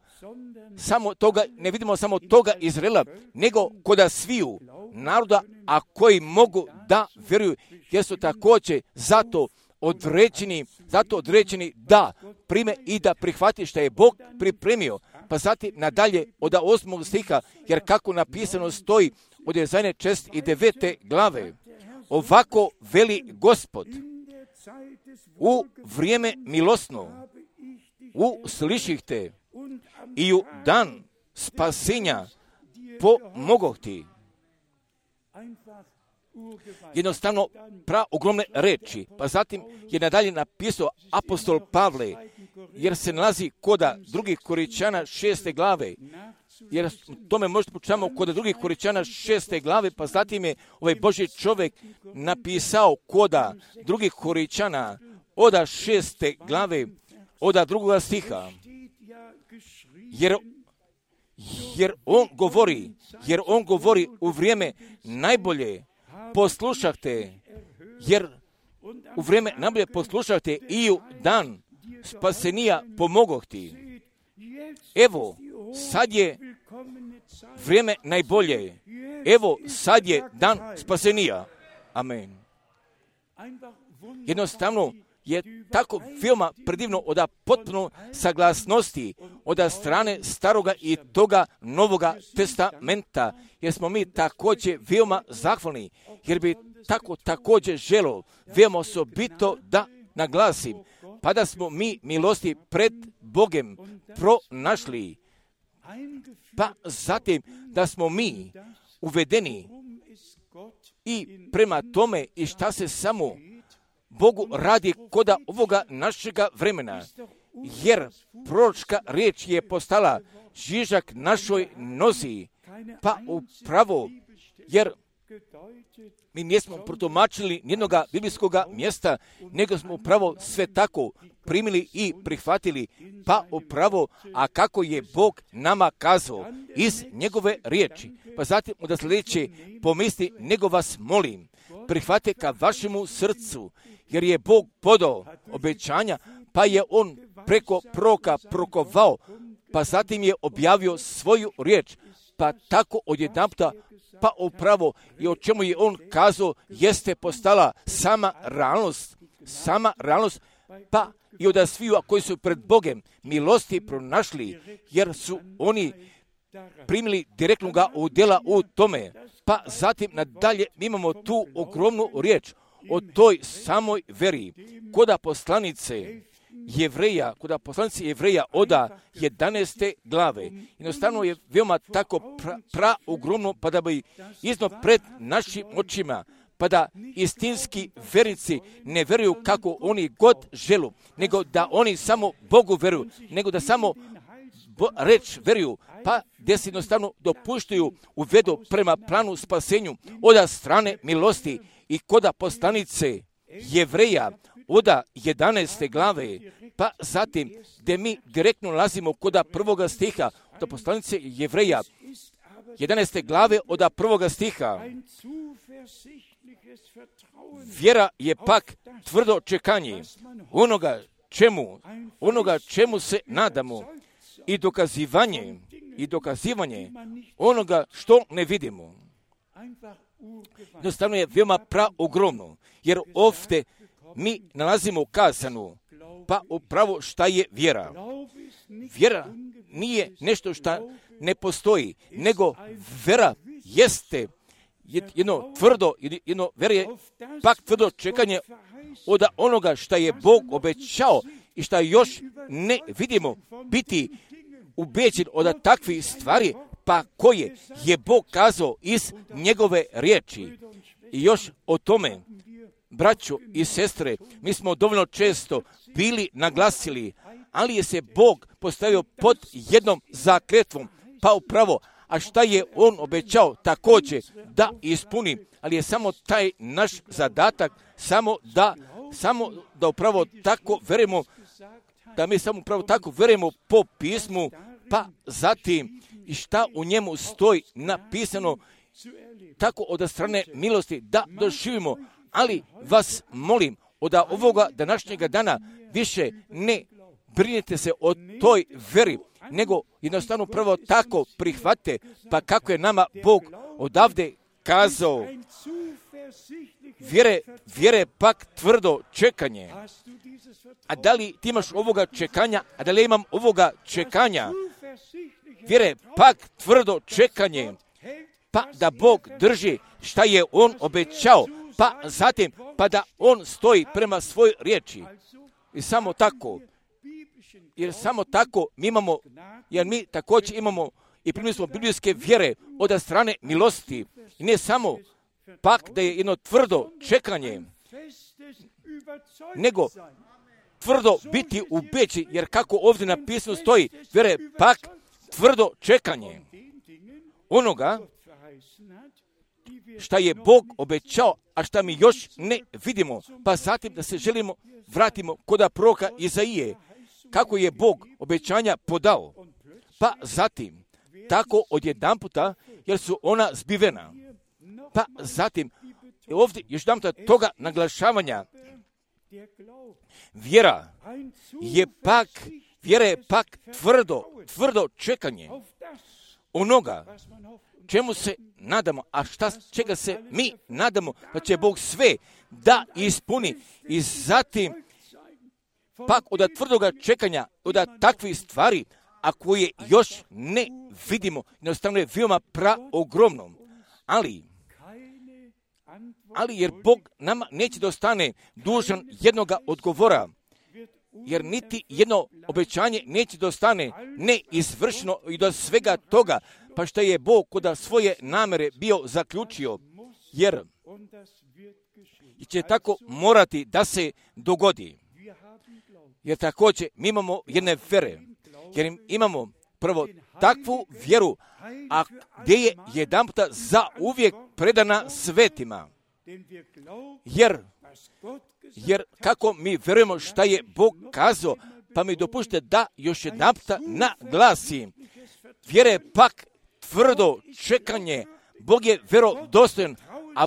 toga, ne vidimo samo toga Izraela, nego koda sviju naroda, a koji mogu da vjeruju, jer su također zato određeni da prime i da prihvati što je Bog pripremio. Pa zatim nadalje od 8. stiha, jer kako napisano stoji od Jezajne 49. glave, ovako veli Gospod, u vrijeme milosno, usliših te i u dan spasenja pomogoh ti. Jednostavno ogromne reči. Pa zatim je nadalje napisao apostol Pavle, jer se nalazi koda drugih Korinćana 6. glave, jer tome možete počutamo kod drugih Korinćana 6. glave, pa zatim je ovaj Božji čovjek napisao koda drugih Korinćana od 6. glave, od 2. stiha, jer on govori u vrijeme najbolje. Poslušajte, jer u vrijeme najbolje poslušajte i u dan spasenija pomogoh ti. Evo, sad je vrijeme najbolje. Evo, sad je dan spasenija. Amen. Jednostavno je tako veoma predivno od potpuno saglasnosti od strane staroga i toga Novoga testamenta, jer smo mi također veoma zahvalni, jer bi tako također želo veoma osobito da naglasim, pa da smo mi milosti pred Bogem pronašli, pa zatim da smo mi uvedeni i prema tome i šta se samo Bogu radi koda ovoga našega vremena, jer proročka riječ je postala žižak našoj nozi, pa upravo, jer mi nismo protumačili nijednoga biblijskoga mjesta, nego smo upravo sve tako primili i prihvatili, pa upravo, a kako je Bog nama kazao iz njegove riječi. Pa zatim da sljedeće pomisli, nego vas molim, prihvate ka vašemu srcu, jer je Bog podao obećanja, pa je on preko proroka prokovao, pa zatim je objavio svoju riječ, pa tako odjedanputa, pa upravo i o čemu je on kazao, jeste postala sama realnost, pa i od sviju koji su pred Bogem milosti pronašli, jer su oni primili direktnoga udjela u tome. Pa zatim nadalje mi imamo tu ogromnu riječ o toj samoj veri, koda poslanice Jevreja oda 11. glave. Jednostavno je veoma tako ogromno, pa da bi izno pred našim očima, pa da istinski verici ne veruju kako oni god želu, nego da oni samo Bogu veruju, nego da samo reč veruju, pa gdje se jednostavno dopuštaju uvedu prema planu spasenju od strane milosti i koda poslanice Jevreja oda 11. glave, pa zatim gdje mi direktno nalazimo koda prvoga stiha od poslanice Jevreja 11. glave od prvoga stiha. Vjera je pak tvrdo čekanje onoga čemu se nadamo i dokazivanje onoga što ne vidimo. Jednostavno je veoma ogromno, jer ovdje mi nalazimo kazano, pa upravo šta je vjera. Vjera nije nešto što ne postoji, nego vjera jeste jedno vjera je pak tvrdo čekanje od onoga što je Bog obećao i što još ne vidimo, biti ubeđen od takvih stvari, pa koje je Bog kazao iz njegove riječi. I još o tome, braćo i sestre, mi smo dovoljno često bili naglasili, ali je se Bog postavio pod jednom zakletvom, pa upravo, a šta je on obećao također da ispuni, ali je samo taj naš zadatak, samo da upravo tako verujemo, da mi samo upravo tako verujemo po pismu, pa zatim i šta u njemu stoji napisano, tako od strane milosti da doživimo. Ali vas molim, od ovoga današnjega dana više ne brinite se o toj veri, nego jednostavno prvo tako prihvate, pa kako je nama Bog odavde kazao, vjere pak tvrdo čekanje. A da li ti imaš ovoga čekanja, a da li imam ovoga čekanja? Vjere pak tvrdo čekanje, pa da Bog drži šta je on obećao, pa zatim, pa da on stoji prema svojoj riječi. I samo tako, jer samo tako mi imamo, jer mi također imamo i primili smo biblijske vjere od strane milosti. I ne samo pak da je jedno tvrdo čekanje, nego tvrdo biti ubeđen, jer kako ovdje napisano stoji, vjere pak tvrdo čekanje onoga šta je Bog obećao, a šta mi još ne vidimo. Pa zatim da se vratimo kod proroka Izaije, kako je Bog obećanja podao. Pa zatim, tako odjedanputa, jer su ona zbivena. Pa zatim, ovdje još jedan puta toga naglašavanja, vjera je pak tvrdo čekanje onoga čemu se nadamo, a čega se mi nadamo, da će Bog sve da ispuni. I zatim pak od tvrdoga čekanja, od takvih stvari, a koje još ne vidimo, jednostavno je veoma praogromno. Ali jer Bog nama neće da ostane dužan jednoga odgovora, jer niti jedno obećanje neće da ostane neizvršeno i do svega toga, pa što je Bog kod svoje namere bio zaključio, jer će tako morati da se dogodi. Jer također mi imamo jedne vere, jer imamo prvo takvu vjeru, a gdje je jedanputa za uvijek predana svetima. Jer kako mi vjerujemo šta je Bog kazao, pa mi dopušte da još jedanputa naglasim. Vjere pak tvrdo čekanje, Bog je vjerodostojan, a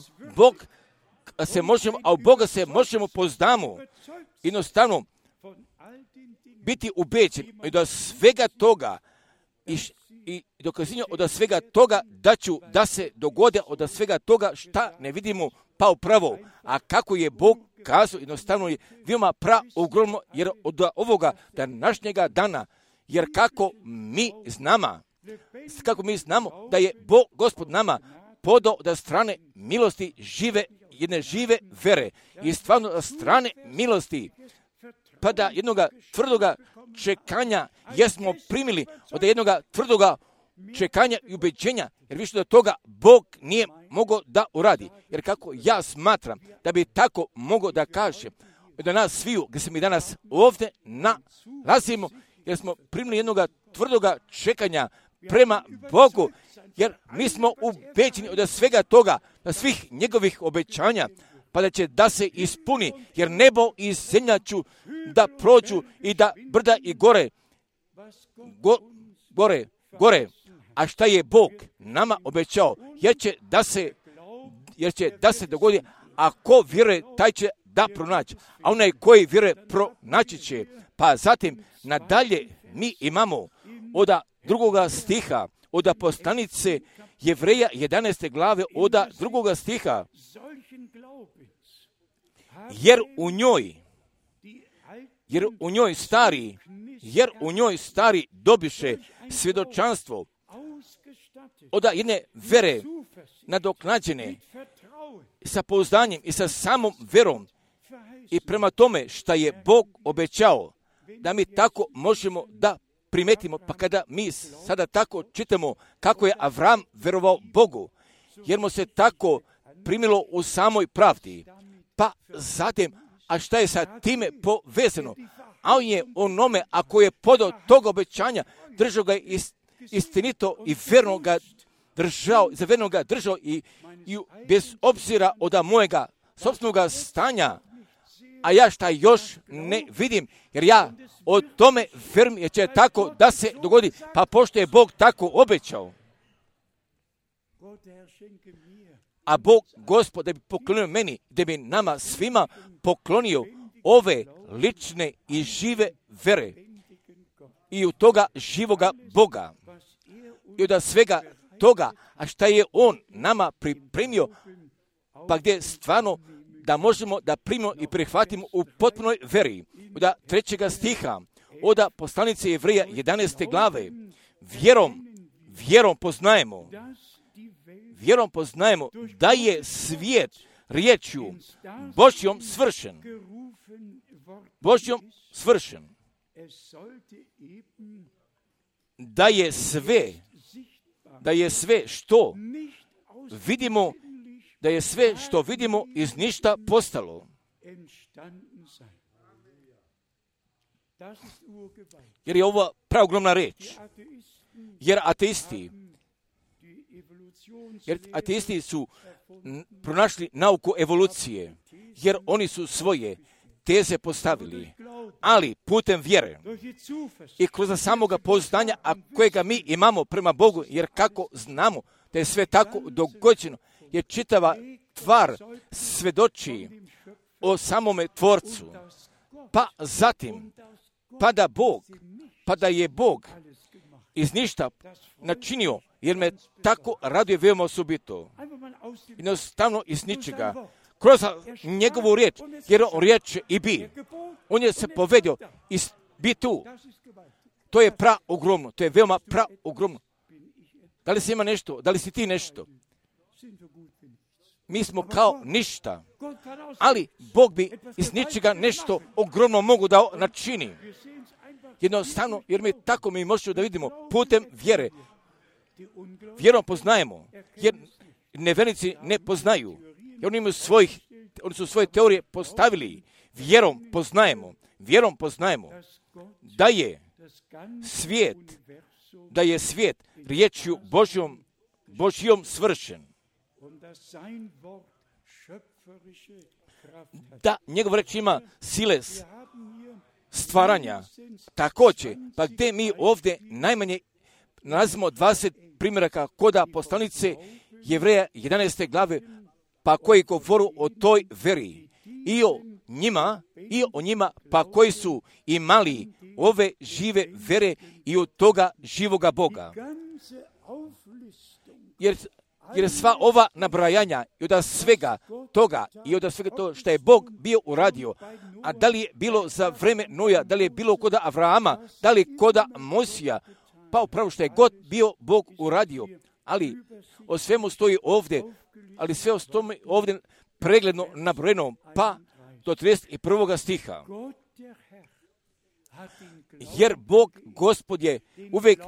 u Boga se možemo poznamo. Jednostavno biti ubeđen i do svega toga i dokazivanje od svega toga da se dogode od svega toga šta ne vidimo pa upravo. A kako je Bog kazao, jednostavno je veoma praogromno, jer od ovoga današnjega dana, jer kako mi znamo da je Bog, Gospod nama podao da strane milosti jedne žive vere i stvarno da strane milosti, pa da jednoga tvrdoga čekanja jesmo primili, od jednoga tvrdoga čekanja i ubeđenja, jer više do toga Bog nije mogao da uradi. Jer kako ja smatram da bi tako mogao da kaže da nas sviju, gdje se mi danas ovdje nalazimo, jer smo primili jednoga tvrdoga čekanja prema Bogu, jer mi smo ubeđeni od svega toga, na svih njegovih obećanja, pa da će da se ispuni, jer nebo i zemlja ću da prođu i da brda i gore, a šta je Bog nama obećao, jer će da se dogodi, a ko vjeruje, taj će da pronaći, a onaj koji vjeruje pronaći će. Pa zatim nadalje mi imamo od drugoga stiha, od poslanice Jevreja 11. glave, od drugoga stiha, jer u njoj stari dobiše svjedočanstvo od jedne vere nadoknađene sa pouzdanjem i sa samom verom i prema tome šta je Bog obećao, da mi tako možemo da primetimo. Pa kada mi sada tako čitamo kako je Avram verovao Bogu, jer mu se tako primilo u samoj pravdi, pa zatim, a šta je sa time povezano? A on je onome, ako je podao tog obećanja, držao ga istinito i verno ga držao i bez obzira od mojega sopstvenog stanja, a ja šta još ne vidim, jer ja o tome verujem, jer će tako da se dogodi, pa pošto je Bog tako obećao. A Bog, Gospod, da bi poklonio meni, da bi nama svima poklonio ove lične i žive vere i u toga živoga Boga. I od svega toga, a šta je On nama pripremio, pa gdje stvarno da možemo da primimo i prihvatimo u potpunoj veri. Od 3. stiha, od poslanice Jevreja 11. glave, vjerom poznajemo da je svijet riječju Božjom svršen. Da je sve što vidimo iz ništa postalo. Jer je ovo praogromna reč. Jer ateisti su pronašli nauku evolucije, jer oni su svoje teze postavili, ali putem vjere i kroz samoga poznanja, a kojega mi imamo prema Bogu, jer kako znamo da je sve tako dogođeno, jer čitava tvar svedoči o samome Tvorcu, pa zatim, pa da je Bog iz ništa načinio, jer me tako raduje veoma osobito. Jednostavno iz ničega. Kroz njegovu riječ, jer on riječ i bi. On je se povedio i bi tu. To je ogromno, to je veoma ogromno. Da li si ima nešto, da li si ti nešto? Mi smo kao ništa, ali Bog bi iz ničega nešto ogromno mogu da načini. Jednostavno, jer mi možemo da vidimo putem vjere. Vjerom poznajemo, jer nevjernici ne poznaju. Jer oni su svoje teorije postavili. Vjerom poznajemo da je svijet riječju Božjom svršen. Da njegov reč ima sile stvaranja. Također, pa gdje mi ovdje najmanje nalazimo 20 primjeraka koda poslanice Jevreja 11. glave, pa koji govoru o toj veri i o njima, pa koji su imali ove žive vere i od toga živoga Boga. Jer sva ova nabrajanja i od svega toga to što je Bog bio uradio, a da li je bilo za vreme Noja, da li je bilo koda Avrahama, da li koda Mosija, pa upravo što je god bio Bog uradio, ali o svemu stoji ovdje, ali sve o tome ovdje pregledno nabrojeno, pa do 31. stiha. Jer Bog Gospod je uvijek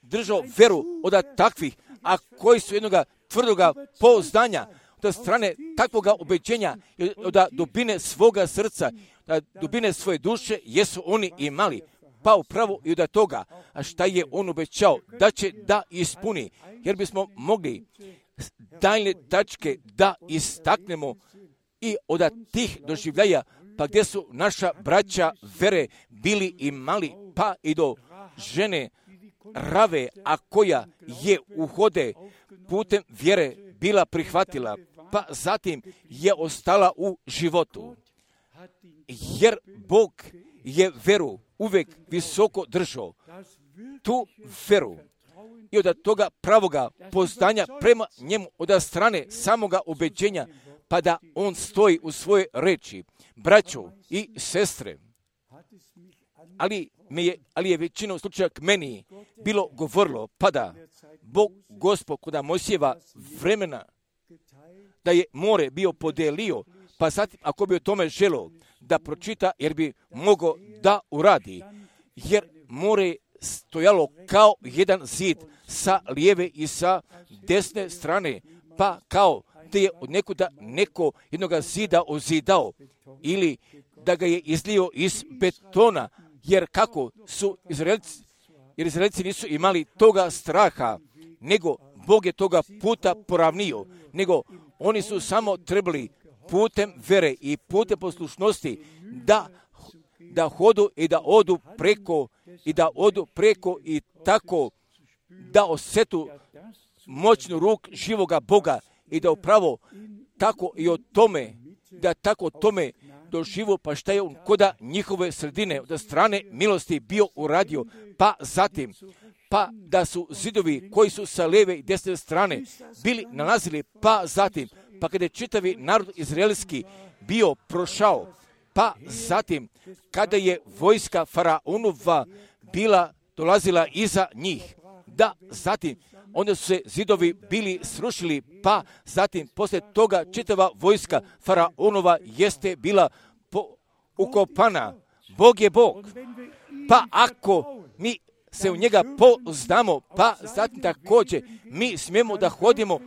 držao veru od takvih, a koji su jednoga tvrdoga pouzdanja, od strane takvoga ubeđenja, od dubine svoga srca, od dubine svoje duše, jesu oni imali. Pa upravo i od toga, a šta je on obećao, da će da ispuni, jer bismo mogli daljne tačke da istaknemo i od tih doživljaja, pa gdje su naša braća vere bili imali, pa i do žene Rave, a koja je uhode putem vjere bila prihvatila, pa zatim je ostala u životu. Jer Bog je veru uvijek visoko držao, tu veru i od toga pravoga poznanja prema njemu od strane samoga ubeđenja, pa da on stoji u svoje reči. Braćo i sestre, ali je većinom slučaja k meni bilo govorilo, pa da Bog Gospod kod Mojsijeva vremena da je more bio podelio, pa zatim ako bi o tome želio da pročita, jer bi mogao da uradi, jer more stojalo kao jedan zid sa lijeve i sa desne strane, pa kao da je od nekuda neko jednoga zida ozidao ili da ga je izlio iz betona, jer kako su Izraelci nisu imali toga straha, nego Bog je toga puta poravnio, nego oni su samo trebali putem vere i putem poslušnosti da hodu i da odu preko i tako da osjetu moćnu ruk živoga Boga i da upravo tako i o tome, da tako tome doživu, pa šta je on koda njihove sredine od strane milosti bio uradio, pa zatim, pa da su zidovi koji su sa lijeve i desne strane bili nalazili, pa zatim, pa kada je čitavi narod izraelski bio prošao, pa zatim, kada je vojska Faraonova bila dolazila iza njih, da zatim, onda su se zidovi bili srušili, pa zatim, poslije toga čitava vojska Faraonova jeste bila ukopana. Bog je Bog. Pa ako mi se u njega pouzdamo, pa zatim također mi smijemo da hodimo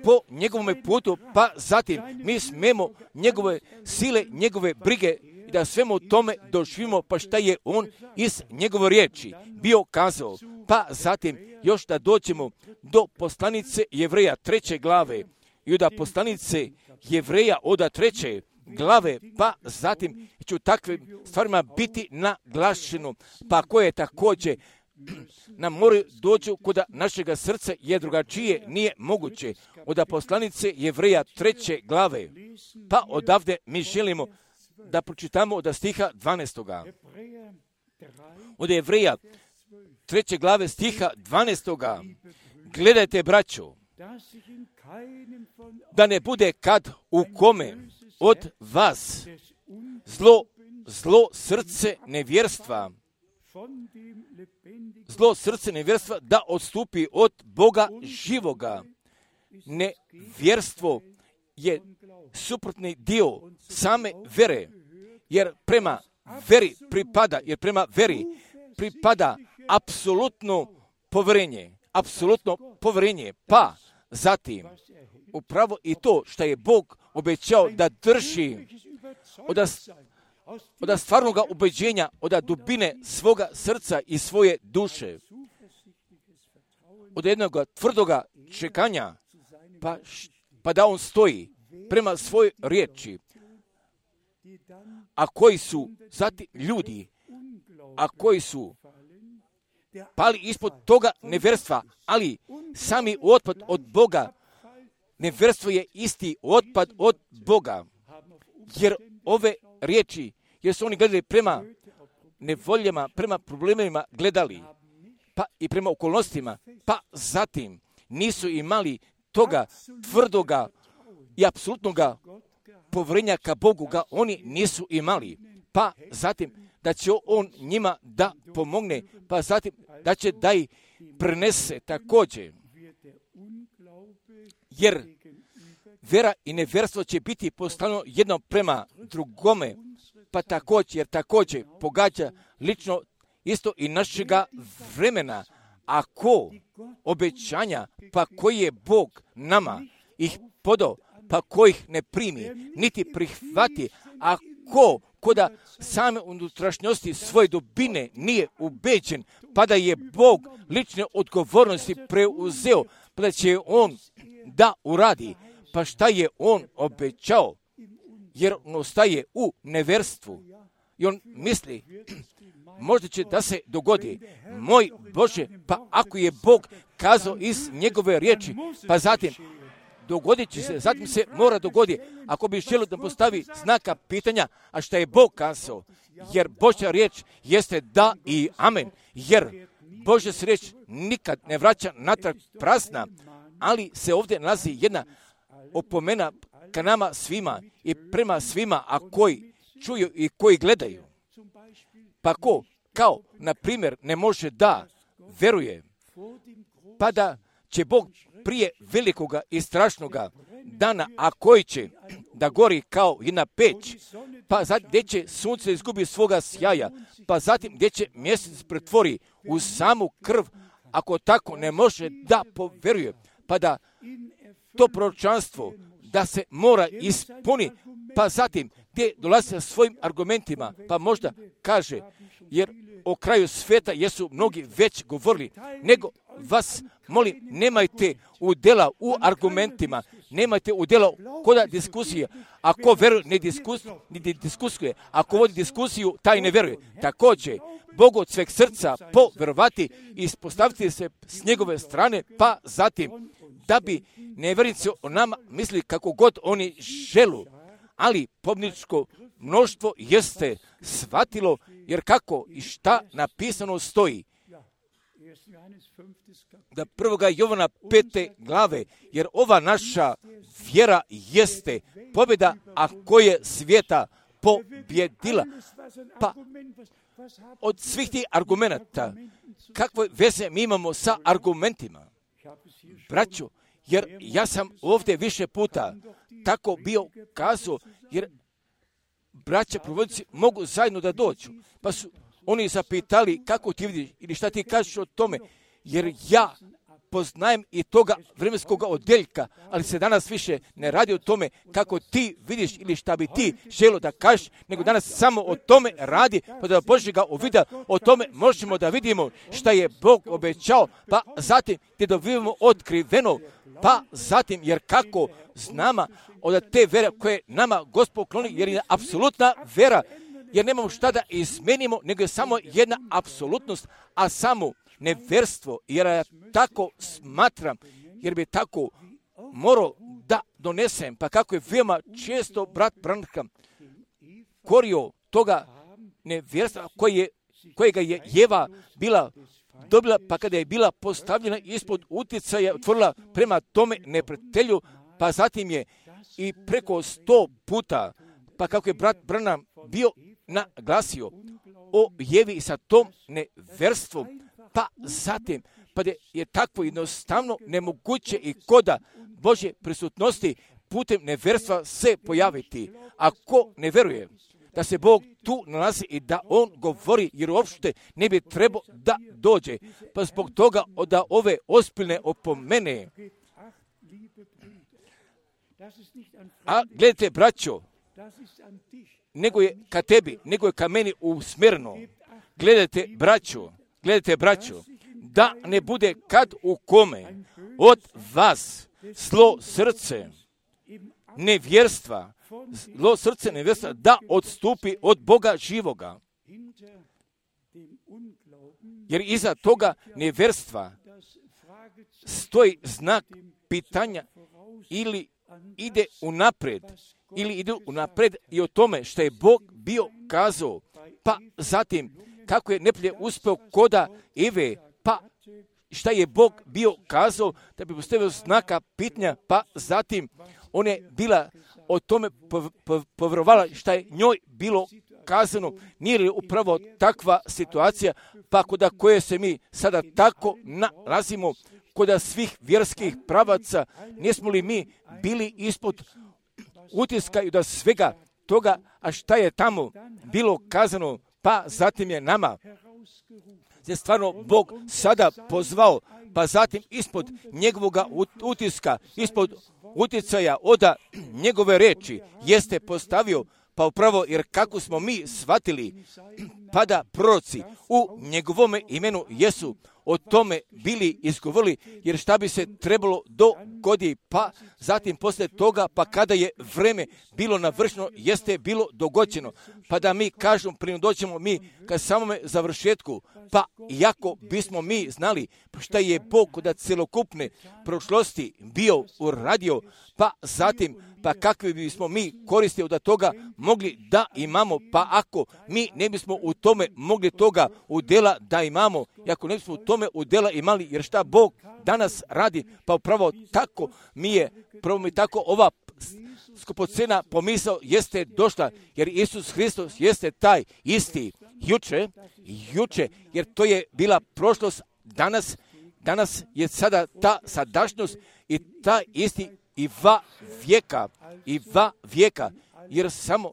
po njegovom putu, pa zatim mi smijemo njegove sile, njegove brige i da svemu tome doživimo, pa šta je on iz njegove riječi bio kazao. Pa zatim još da dođemo do poslanice Jevreja 3. glave i od poslanice Jevreja od 3. glave, pa zatim će u takvim stvarima biti naglašeno, pa koje također nam moraju doći kod našega srca, jer drugačije nije moguće. Od poslanice Jevreja 3. glave, pa odavde mi želimo da pročitamo od stiha 12. Od Jevreja 3. glave stiha 12. Gledajte, braćo, da ne bude kad u kome od vas zlo srce nevjerstva da odstupi od Boga živoga. Nevjerstvo je suprotni dio same vere, jer prema veri pripada apsolutno povjerenje, pa zatim upravo i to što je Bog obećao da drži od stvarnoga ubeđenja, od dubine svoga srca i svoje duše, od jednog tvrdoga čekanja, pa da on stoji prema svojoj riječi. A koji su zatim ljudi, a koji su pali ispod toga nevjerstva, ali sami otpad od Boga. Nevjerstvo je isti otpad od Boga, jer ove riječi, jer su oni gledali prema nevoljama, prema problemima gledali, pa i prema okolnostima, pa zatim nisu imali toga tvrdoga i apsolutnoga povjerenja ka Bogu ga oni nisu imali, pa zatim da će on njima da pomogne, pa zatim da će da ih prenese također. Jer vera i nevjerstvo će biti postavljeno jedno prema drugome, pa također pogađa lično isto i našega vremena. Ako obećanja, pa koji je Bog nama ih podao, pa kojih ne primi, niti prihvati, ako koda same unutrašnjosti svoje dubine nije ubeđen, pa da je Bog lične odgovornosti preuzeo, pa da će on da uradi, pa šta je on obećao, jer on ostaje u nevjerstvu. I on misli, možda će da se dogodi, moj Bože, pa ako je Bog kazao iz njegove riječi, pa zatim dogodit će se, zatim se mora dogoditi. Ako bi želio da postavi znaka pitanja, a šta je Bog kazao, jer Božja riječ jeste da i amen, jer Božja se riječ nikad ne vraća natrag prazna, ali se ovdje nalazi jedna opomena ka nama svima i prema svima, a koji čuju i koji gledaju. Pa ko, kao, na primjer, ne može da veruje, pa da će Bog prije velikoga i strašnoga dana, a koji će da gori kao jedna peć, pa zatim gdje će sunce izgubi svoga sjaja, pa zatim gdje će mjesec pretvori u samu krv, ako tako ne može da poveruje, pa da to proročanstvo da se mora ispuni, pa zatim gdje dolazi sa svojim argumentima, pa možda kaže, jer o kraju svijeta jesu mnogi već govorili, nego vas molim, nemajte udjela u argumentima, nemajte udjela koda diskusije. Ako veruje, ne diskusuje, ako vodi diskusiju, taj ne veruje. Također, Bogu od sveg srca poverovati i ispostaviti se s njegove strane, pa zatim da bi nevjernici o nama mislili kako god oni želu. Ali pobjedničko mnoštvo jeste shvatilo, jer kako i šta napisano stoji. Da 1. Jovana 5. glave, jer ova naša vjera jeste pobjeda, a koje svijeta pobjedila. Pa od svih tih argumenata, kakve veze mi imamo sa argumentima? Braćo, jer ja sam ovdje više puta tako bio kazao, jer braća provodnici mogu zajedno da dođu. Pa su oni zapitali kako ti vidiš ili šta ti kažeš o tome, jer ja poznajem i toga vremenskog odjeljka, ali se danas više ne radi o tome kako ti vidiš ili šta bi ti želo da kažeš, nego danas samo o tome radi, pa da Božjega uvida, o tome možemo da vidimo šta je Bog obećao, pa zatim ti dobivamo otkriveno, pa zatim, jer kako znamo od te vere koje nama Gospod kloni, jer je apsolutna vera, jer nemamo šta da izmenimo, nego je samo jedna apsolutnost, a samo neverstvo, jer ja tako smatram, jer bi tako morao da donesem, pa kako je veoma često brat Branham korio toga neverstva kojega je Jeva bila dobila, pa kada je bila postavljena ispod utjecaja, otvorila prema tome neprijatelju, pa zatim je i preko 100 puta, pa kako je brat Branham bio naglasio o Jevi i sa tom neverstvom, pa zatim, pa je takvo jednostavno nemoguće i koda Božje prisutnosti putem neverstva se pojaviti. Ako ne veruje da se Bog tu nalazi i da On govori, jer uopšte ne bi trebao da dođe, pa zbog toga da ove ozbiljne opomene. A gledajte, braćo, nego je ka tebi, nego je ka meni usmjereno. Gledajte, braćo, da ne bude kad u kome od vas zlo srce nevjerstva, da odstupi od Boga živoga. Jer iza toga nevjerstva stoji znak pitanja ili ide unaprijed i o tome što je Bog bio kazao, pa zatim kako je neprijatelj uspio koda Eve, pa šta je Bog bio kazao da bi postavio znaka pitanja, pa zatim ona je bila o tome povjerovala šta je njoj bilo kazano. Nije li upravo takva situacija, pa koda koje se mi sada tako nalazimo, koda svih vjerskih pravaca, nismo li mi bili ispod utiska i da svega toga, a šta je tamo bilo kazano, pa zatim je nama je stvarno Bog sada pozvao, pa zatim ispod njegovoga utiska, ispod utjecaja od njegove reči jeste postavio, pa upravo jer kako smo mi shvatili, pa da proroci u njegovome imenu jesu o tome bili izgovorili, jer šta bi se trebalo dogoditi, pa zatim poslije toga, pa kada je vreme bilo navršeno, jeste bilo dogođeno, pa da mi kažemo, prije doćemo mi ka samome završetku, pa iako bismo mi znali šta je Bog da celokupne prošlosti bio uradio, pa zatim, pa kakvi bismo mi koristi od toga mogli da imamo, pa ako mi ne bismo u tome mogli toga udjela da imamo, i ako ne bismo u tome udjela imali, jer šta Bog danas radi, pa upravo tako mi je, prvo mi tako ova skupocena pomisao jeste došla, jer Isus Hristos jeste taj isti juče, jer to je bila prošlost, danas je sada ta sadašnjost i ta isti i va vijeka, jer samo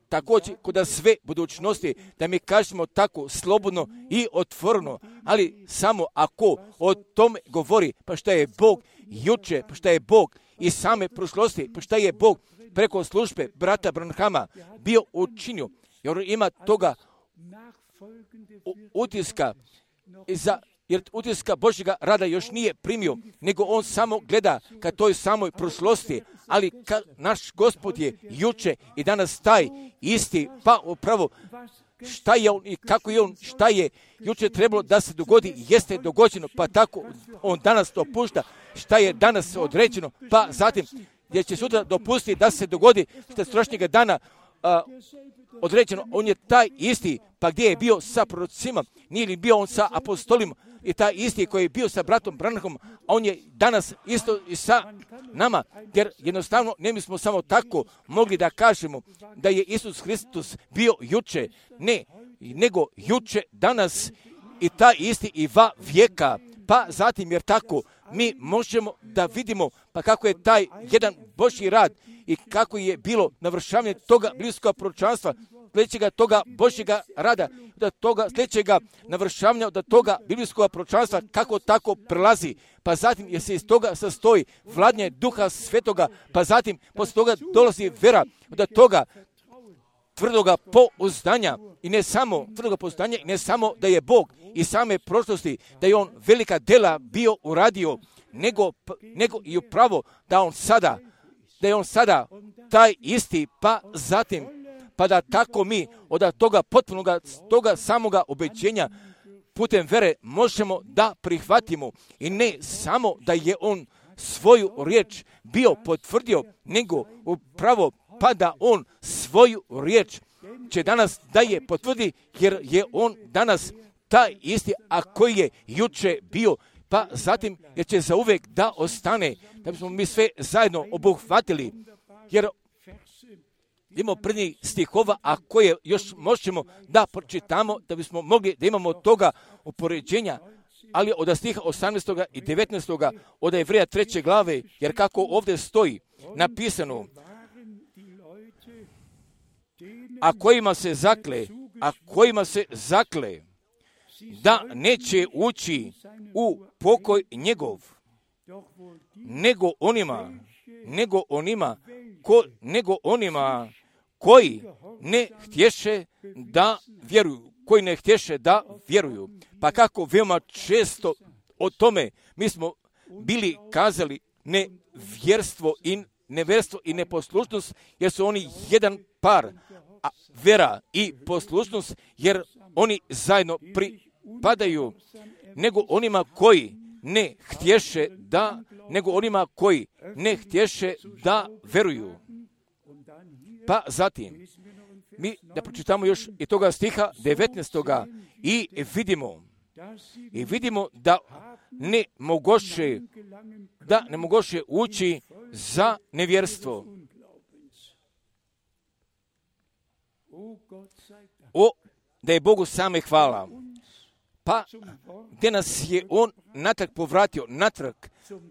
također kod sve budućnosti, da mi kažemo tako slobodno i otvoreno, ali samo ako o tome govori, pa šta je Bog juče, pa šta je Bog i same prošlosti, pa šta je Bog preko službe brata Branhama bio učinio, jer ima toga utiska jer utiska Božjega rada još nije primio, nego on samo gleda ka toj samoj prošlosti, ali naš Gospod je juče i danas taj isti, pa upravo šta je on i kako je on, šta je juče trebalo da se dogodi, jeste dogođeno, pa tako on danas to pušta, šta je danas određeno, pa zatim gdje će sutra dopustiti da se dogodi što je strašnjega dana određeno, on je taj isti, pa gdje je bio sa prorocima, nije li bio on sa apostolima, i taj isti koji je bio sa bratom Branhamom, a on je danas isto i sa nama, jer jednostavno ne bismo samo tako mogli da kažemo da je Isus Hristos bio juče, ne, nego juče, danas i taj isti i va vijeka, pa zatim jer tako mi možemo da vidimo pa kako je taj jedan Božji rad i kako je bilo navršavanje toga biblijskog proročanstva, sljedećega toga Božjega rada, da toga sljedećega navršavanja od toga biblijskog proročanstva, kako tako prelazi, pa zatim jer se iz toga sastoji vladanje Duha Svetoga, pa zatim poslije toga dolazi vera, od toga tvrdoga pouzdanja i ne samo tvrdoga pouzdanja i ne samo da je Bog i same prošlosti, da je on velika dela bio uradio, nego i upravo da je on sada taj isti, pa zatim pa da tako mi od toga potpunoga, toga samoga ubeđenja putem vere možemo da prihvatimo i ne samo da je on svoju riječ bio potvrdio, nego upravo pa da on svoju riječ će danas da je potvrdi, jer je on danas taj isti, a koji je juče bio, pa zatim jer će zauvijek da ostane, da bismo mi sve zajedno obuhvatili, jer imamo prvih stihova, a koje još možemo da pročitamo, da bismo mogli da imamo toga upoređenja, ali od stiha 18. i 19. od Jevreja 3. glave, jer kako ovdje stoji napisano, a kojima se zakle, da neće ući u pokoj njegov, nego onima koji ne htješe da vjeruju. Pa kako veoma često o tome mi smo bili kazali nevjerstvo i neposlušnost, jer su oni jedan par, a vera i poslušnost, jer oni zajedno pripadaju, nego onima koji ne htješe da veruju. Pa zatim, mi da pročitamo još i toga stiha 19. i vidimo da ne mogoše ući za nevjerstvo. Da je Bogu same hvala. Pa gdje nas je on natrag povratio, natrag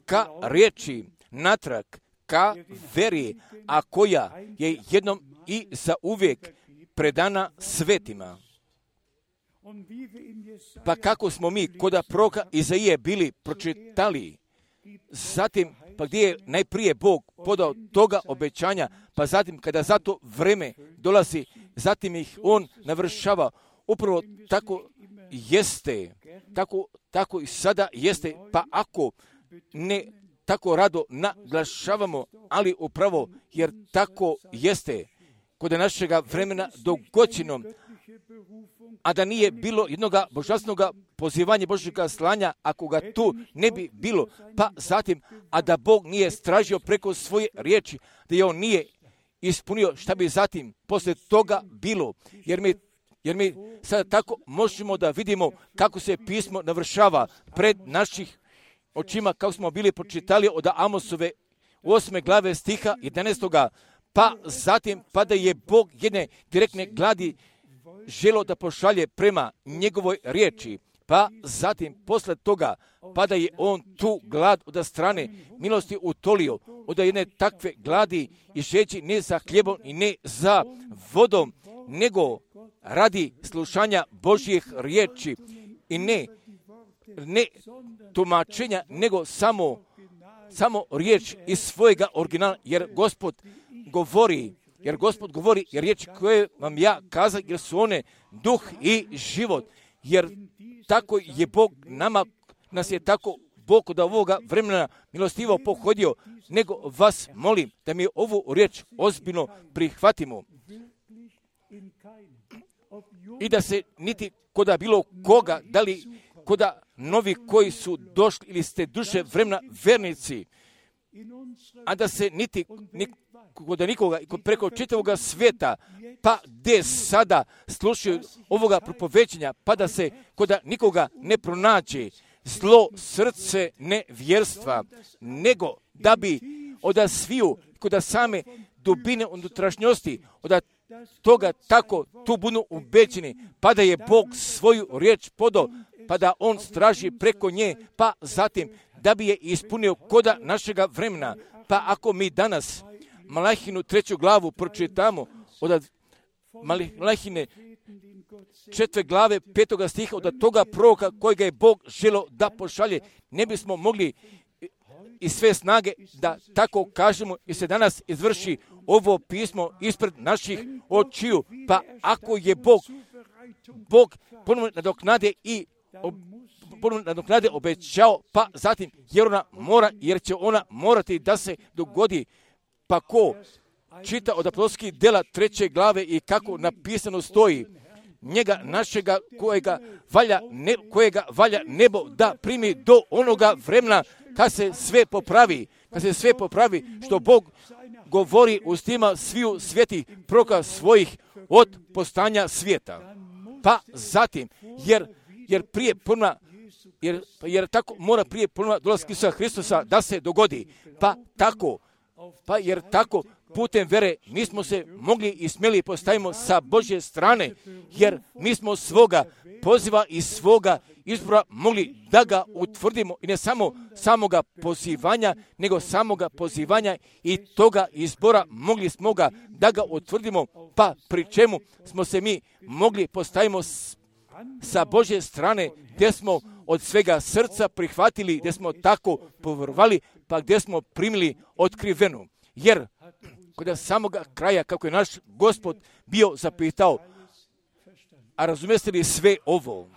ka riječi, natrag ka veri, a koja je jednom i za uvijek predana svetima. Pa kako smo mi kod proroka Izaije bili pročitali, zatim pa gdje je najprije Bog podao toga obećanja, pa zatim kada za to vreme dolazi, zatim ih on navršava. Upravo tako jeste, tako i sada jeste, pa ako ne tako rado naglašavamo, ali upravo jer tako jeste kod našega vremena dogoćeno, a da nije bilo jednoga božanstvenog pozivanja Božjega slanja, ako ga tu ne bi bilo, pa zatim, a da Bog nije stražio preko svoje riječi, da je on nije ispunio, šta bi zatim poslije toga bilo, jer mi sada tako možemo da vidimo kako se pismo navršava pred naših očima, kako smo bili pročitali od Amosove 8. glave stiha 11. Pa zatim, pa da je Bog jedne direktne gladi želo da pošalje prema njegovoj riječi, pa zatim posle toga, pa da je on tu glad od strane milosti utolio, od jedne takve gladi i žeći ne za hljebom i ne za vodom, nego radi slušanja Božjih riječi i ne tumačenja, nego samo riječ iz svojega originala, jer Gospod govori, jer riječi koje vam ja kazam, jer su one duh i život, jer tako je Bog nas je tako Bog od ovoga vremena milostivo pohodio, nego vas molim da mi ovu riječ ozbiljno prihvatimo i da se niti koda bilo koga, da li koda novi koji su došli ili ste duže vremena vernici, a da se niti kod nikoga i preko čitavoga svijeta, pa gdje sada slušaju ovoga propovećenja, pa da se kod nikoga ne pronađe zlo srce nevjerstva, nego da bi od sviju kod same dubine unutrašnjosti, od toga tako tu budu ubeđeni, pa da je Bog svoju riječ podao, pa da on straži preko nje, pa zatim da bi je ispunio koda našega vremena. Pa ako mi danas Malahinu 3. glavu pročitamo od Malahine 4. glave 5. stiha od toga proroka kojega je Bog želio da pošalje, ne bismo mogli i sve snage da tako kažemo i se danas izvrši ovo pismo ispred naših očiju. Pa ako je Bog ponovno nadoknade obećao, pa zatim jer će ona morati da se dogodi. Pa ko čita od apostolskih djela 3. glave i kako napisano stoji, njega našega kojega valja nebo da primi do onoga vremena kad se sve popravi, što Bog govori ustima sviju svjetih proroka svojih od postanja svijeta. Pa zatim, jer tako mora prije ponovno dolaska Isusa Hristusa da se dogodi. Jer tako putem vere mi smo se mogli i smjeli postavimo sa Božje strane, jer mi smo svoga poziva i svoga izbora mogli da ga utvrdimo i ne samo samoga pozivanja, nego samoga pozivanja i toga izbora mogli smo ga da ga utvrdimo, pa pri čemu smo se mi mogli postavimo sa Božje strane, gdje smo od svega srca prihvatili, gdje smo tako povjerovali, pa gdje smo primili otkrivenu. Jer kod samoga kraja, kako je naš Gospod bio zapitao, a razumijete li sve ovo?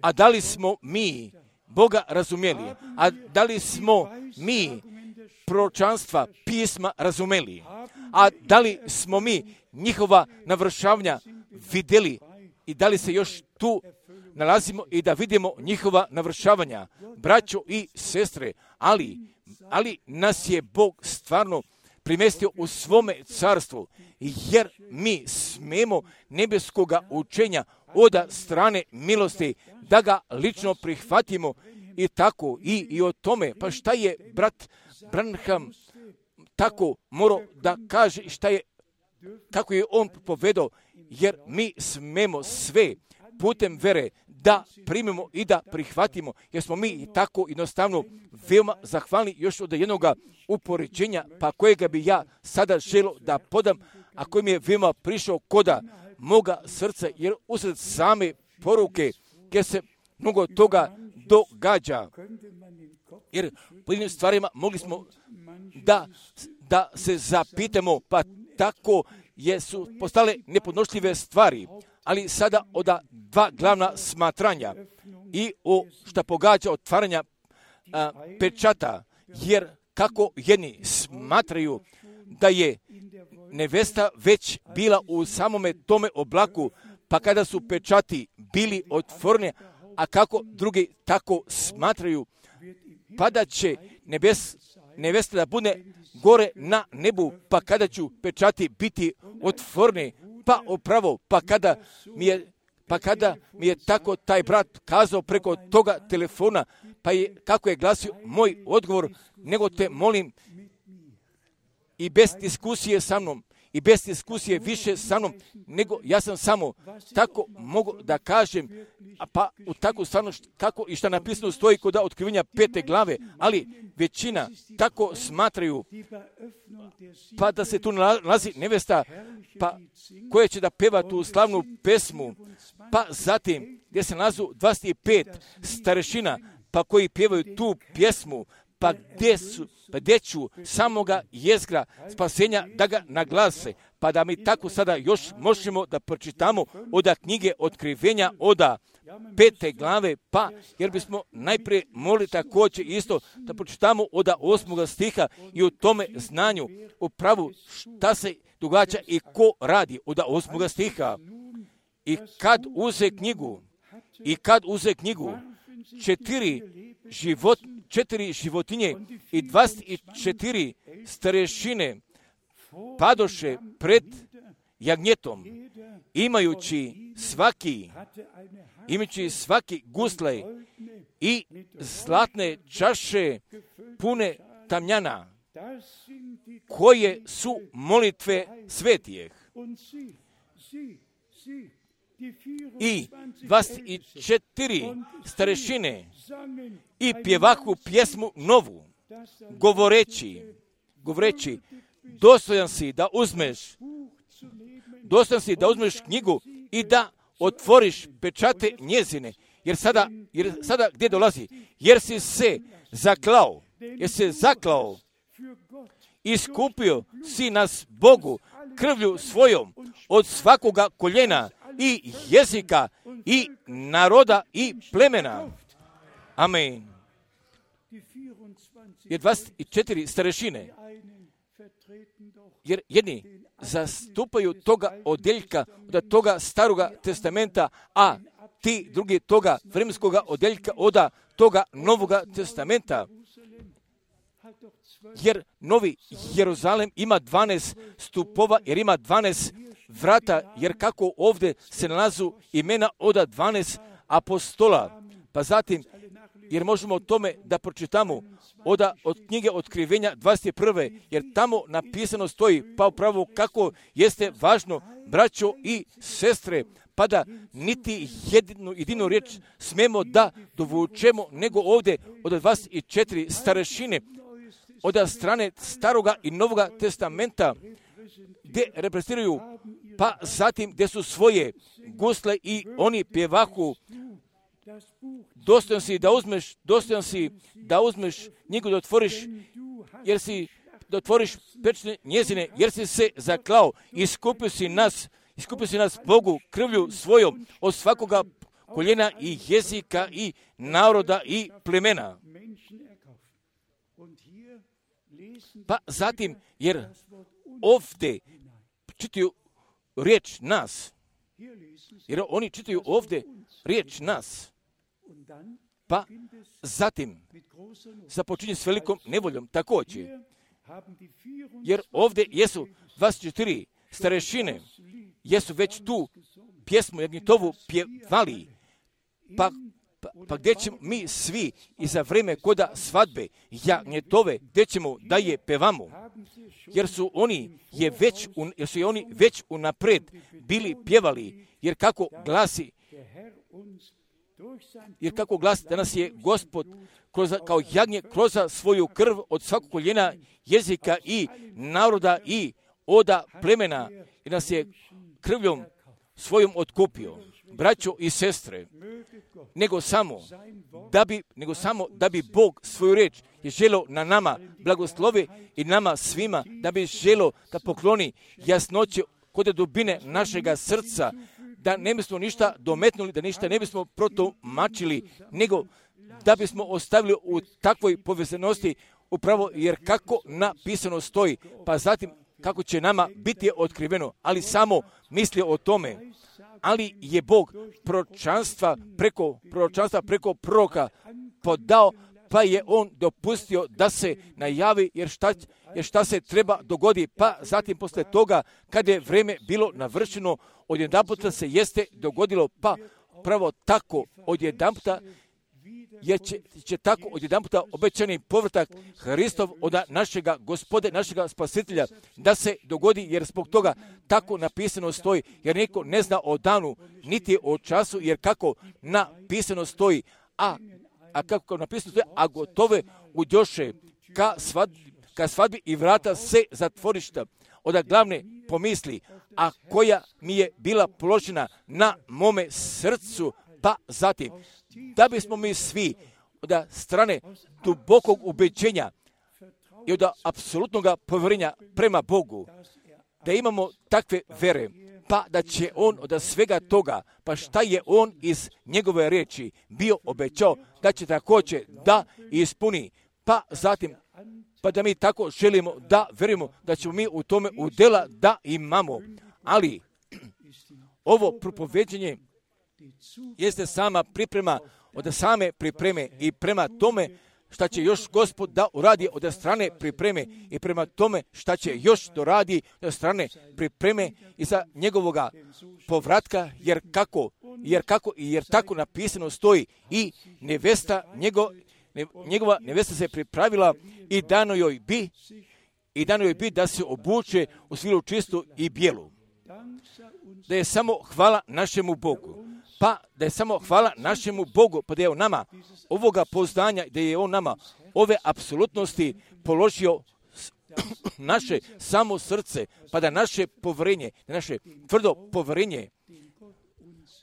A da li smo mi Boga razumjeli? A da li smo mi proročanstva pisma razumjeli? A da li smo mi njihova navršavanja vidjeli? I da li se još tu nalazimo i da vidimo njihova navršavanja? Braćo i sestre, ali nas je Bog stvarno primestio u svome carstvu, jer mi smemo nebeskoga učenja od strane milosti da ga lično prihvatimo i tako i o tome. Pa šta je brat Branham tako morao da kaže i kako je on povedao, jer mi smemo sve putem vere da primimo i da prihvatimo, jer smo mi tako jednostavno veoma zahvalni još od jednoga upoređenja, pa kojega bi ja sada želio da podam, a koji mi je veoma prišao koda moga srca, jer usred same poruke gdje se mnogo toga događa. Jer po jednim stvarima mogli smo da se zapitamo, pa tako su postale nepodnošljive stvari. Ali sada od dva glavna smatranja i što pogađa otvaranja pečata, jer kako jedni smatraju da je nevesta već bila u samome tome oblaku, pa kada su pečati bili otvoreni, a kako drugi tako smatraju, pa da će nevesta da bude gore na nebu, pa kada ću pečati biti otvoreni, pa upravo, pa kada mi je tako taj brat kazao preko toga telefona, pa je, kako je glasio moj odgovor, nego te molim i bez diskusije sa mnom, i bez diskusije više sa mnom, nego ja sam samo tako mogu da kažem, pa u takvu stvarno kako i što napisano stoji kod otkrivenja 5. glave, ali većina tako smatraju, pa da se tu nalazi nevesta, pa koja će da peva tu slavnu pesmu, pa zatim gdje se nalazi 25 starešina, pa koji pjevaju tu pjesmu, pa gdje ću samoga jezgra spasenja da ga naglase, pa da mi tako sada još možemo da pročitamo od knjige otkrivenja od 5. glave, pa jer bismo najprije mogli također isto da pročitamo od 8. stiha i u tome znanju upravo šta se događa i ko radi od 8. stiha. I kad uze knjigu 4 životinje i 24 starešine padoše pred jagnjetom, imajući svaki gusle i zlatne čaše pune tamjana, koje su molitve svetijeh. I 24 starešine i pjevahu pjesmu novu, govoreći, dostojan si da uzmeš knjigu i da otvoriš pečate njezine, jer sada gdje dolazi? Jer si se zaklao, iskupio si nas Bogu krvlju svojom od svakoga koljena i jezika i naroda i plemena. Amen. Jer 24 starešine, jer jedni zastupaju toga odjeljka od toga staroga testamenta, a ti drugi toga vremenskoga odjeljka od toga novoga testamenta. Jer Novi Jeruzalem ima 12 stupova, jer ima 12 vrata, jer kako ovdje se nalazu imena od 12 apostola. Pa zatim, jer možemo o tome da pročitamo od knjige Otkrivenja 21. jer tamo napisano stoji, pa upravo kako jeste važno, braćo i sestre, pa da niti jedinu riječ smemo da dovučemo, nego ovdje od 24 starešine, od strane staroga i novoga testamenta, gdje reprezentiraju, pa zatim gdje su svoje gusle i oni pjevahu. Dostojan si da uzmeš knjigu da otvoriš, da otvoriš pečne njezine, jer si se zaklao, iskupio si nas Bogu krvlju svojom od svakoga koljena i jezika i naroda i plemena. Pa zatim, jer ovdje čitaju riječ nas, jer oni čitaju ovdje riječ nas, pa zatim započinje s velikom nevoljom također, jer ovdje jesu 24 starešine, jesu već tu pjesmu Jagnjetovu pjevali, pa gdje ćemo mi svi i za vrijeme koda svadbe Jagnjetove, gdje ćemo da je pevamo, jer su oni već unapred bili pjevali, jer kako glasi da nas je Gospod kao jagnje kroz svoju krv od svakog koljena, jezika i naroda i oda plemena, i nas je krvljom svojom otkupio. Braćo i sestre, nego samo da bi Bog svoju riječ je želio na nama blagoslovi i nama svima, da bi želio da pokloni jasnoće kod dubine našega srca, da ne bismo ništa dometnuli, da ništa ne bismo protumačili, nego da bismo ostavili u takvoj povezanosti upravo, jer kako napisano stoji, pa zatim kako će nama biti otkriveno, ali samo misli o tome. Ali je Bog proročanstva preko proroka podao, pa je on dopustio da se najavi, jer šta se treba dogodi. Pa zatim posle toga, kada je vrijeme bilo navršeno, odjedanputa se jeste dogodilo, pa pravo tako odjedanputa, jer će tako odjedanputa obećani povratak Hristov od našega Gospode, našega Spasitelja, da se dogodi, jer zbog toga tako napisano stoji, jer neko ne zna o danu, niti o času, jer kako napisano stoji, a kako napisano stoji, a gotove udjoše ka svadbi i vrata se zatvorišta od glavne pomisli, a koja mi je bila položena na mome srcu, pa zatim, da bismo mi svi od strane dubokog ubeđenja i od apsolutnog povjerenja prema Bogu, da imamo takve vere, pa da će on od svega toga, pa šta je on iz njegove riječi bio obećao, da će također da ispuni, pa zatim, pa da mi tako želimo da verujemo da ćemo mi u tome udjela da imamo. Ali ovo propoveđenje jeste sama priprema od same pripreme i prema tome šta će još Gospod da uradi od strane pripreme i prema tome šta će još doradi od strane pripreme i za njegovoga povratka, jer tako napisano stoji i njegova nevesta se pripravila i dano joj bi da se obuče u svilu čistu i bijelu. Da je samo hvala našemu Bogu. Pa da je samo hvala našemu Bogu, pa da je on nama ovoga poznanja, da je on nama ove apsolutnosti položio naše samo srce, pa da naše povjerenje, naše tvrdo povjerenje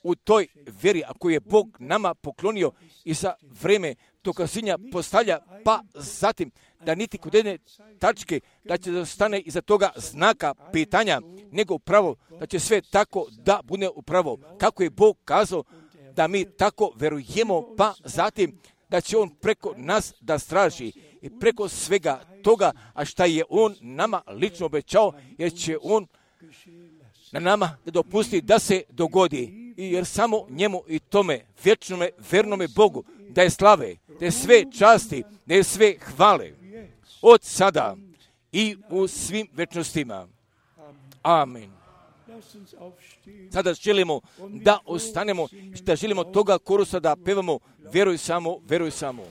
u toj vjeri, a koju je Bog nama poklonio i za vrijeme dokazinja postavlja, pa zatim da niti kod jedne tačke da će da stane iza toga znaka pitanja, nego upravo da će sve tako da bude upravo. Kako je Bog kazao da mi tako verujemo, pa zatim da će On preko nas da straži i preko svega toga, a šta je On nama lično obećao, jer će On na nama da dopusti da se dogodi. I jer samo njemu i tome vječnome, vernome Bogu da je slave, da je sve časti, da je sve hvale od sada i u svim večnostima. Amen. Sada želimo da ostanemo, da želimo toga korusa da pevamo vjeruj samo, vjeruj samo.